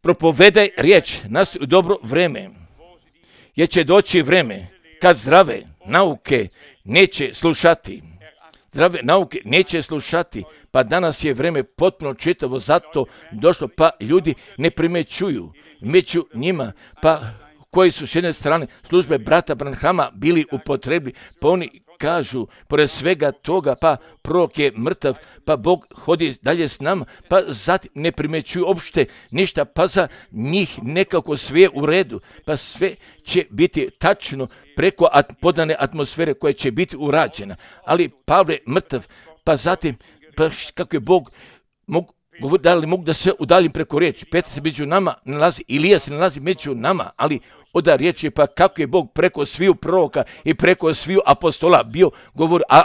Propovedaj riječ, nastoji u dobro vreme, jer će doći vreme kad zdrave nauke neće slušati. Zdrave nauke neće slušati, pa danas je vreme potpuno čitavo, zato došlo, pa ljudi ne primećuju, među njima, pa koji su s jedne strane službe brata Branhama bili upotrebni, pa oni kažu, pored svega toga, pa prorok je mrtav, pa Bog hodi dalje s nama, pa zatim ne primećuju uopšte ništa, pa za njih nekako sve u redu, pa sve će biti tačno preko podane atmosfere koja će biti urađena. Ali Pavle mrtav, pa zatim, pa kako je Bog da li mogu da se udaljim preko riječi, Petar se među nama nalazi, Ilija se nalazi među nama, ali oda riječi, pa kako je Bog preko sviju proroka i preko sviju apostola bio govor, a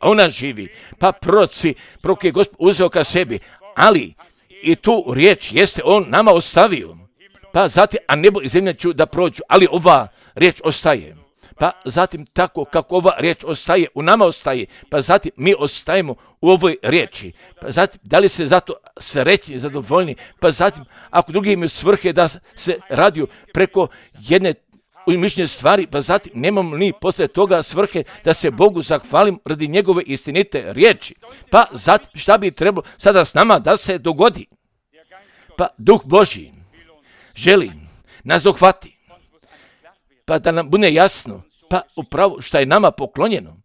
ona živi, pa prorok je Gospod uzeo ka sebi, ali i tu riječ jeste on nama ostavio, pa zatim, a nebo i zemlja ću da prođu, ali ova riječ ostaje. Pa zatim tako kako ova riječ ostaje, u nama ostaje, pa zatim mi ostajemo u ovoj riječi. Pa zatim, da li se zato srećni, zadovoljni, pa zatim, ako drugi imaju svrhe da se radiju preko jedne mišljenje stvari, pa zatim nemamo ni posle toga svrhe da se Bogu zahvalim radi njegove istinite riječi. Pa zatim, šta bi trebalo sada s nama da se dogodi? Pa Duh Božji želi nas dohvati, pa da nam bude jasno, pa upravo šta je nama poklonjeno,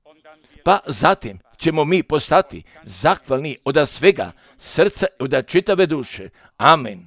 pa zatim ćemo mi postati zahvalni od svega srca i od čitave duše. Amen.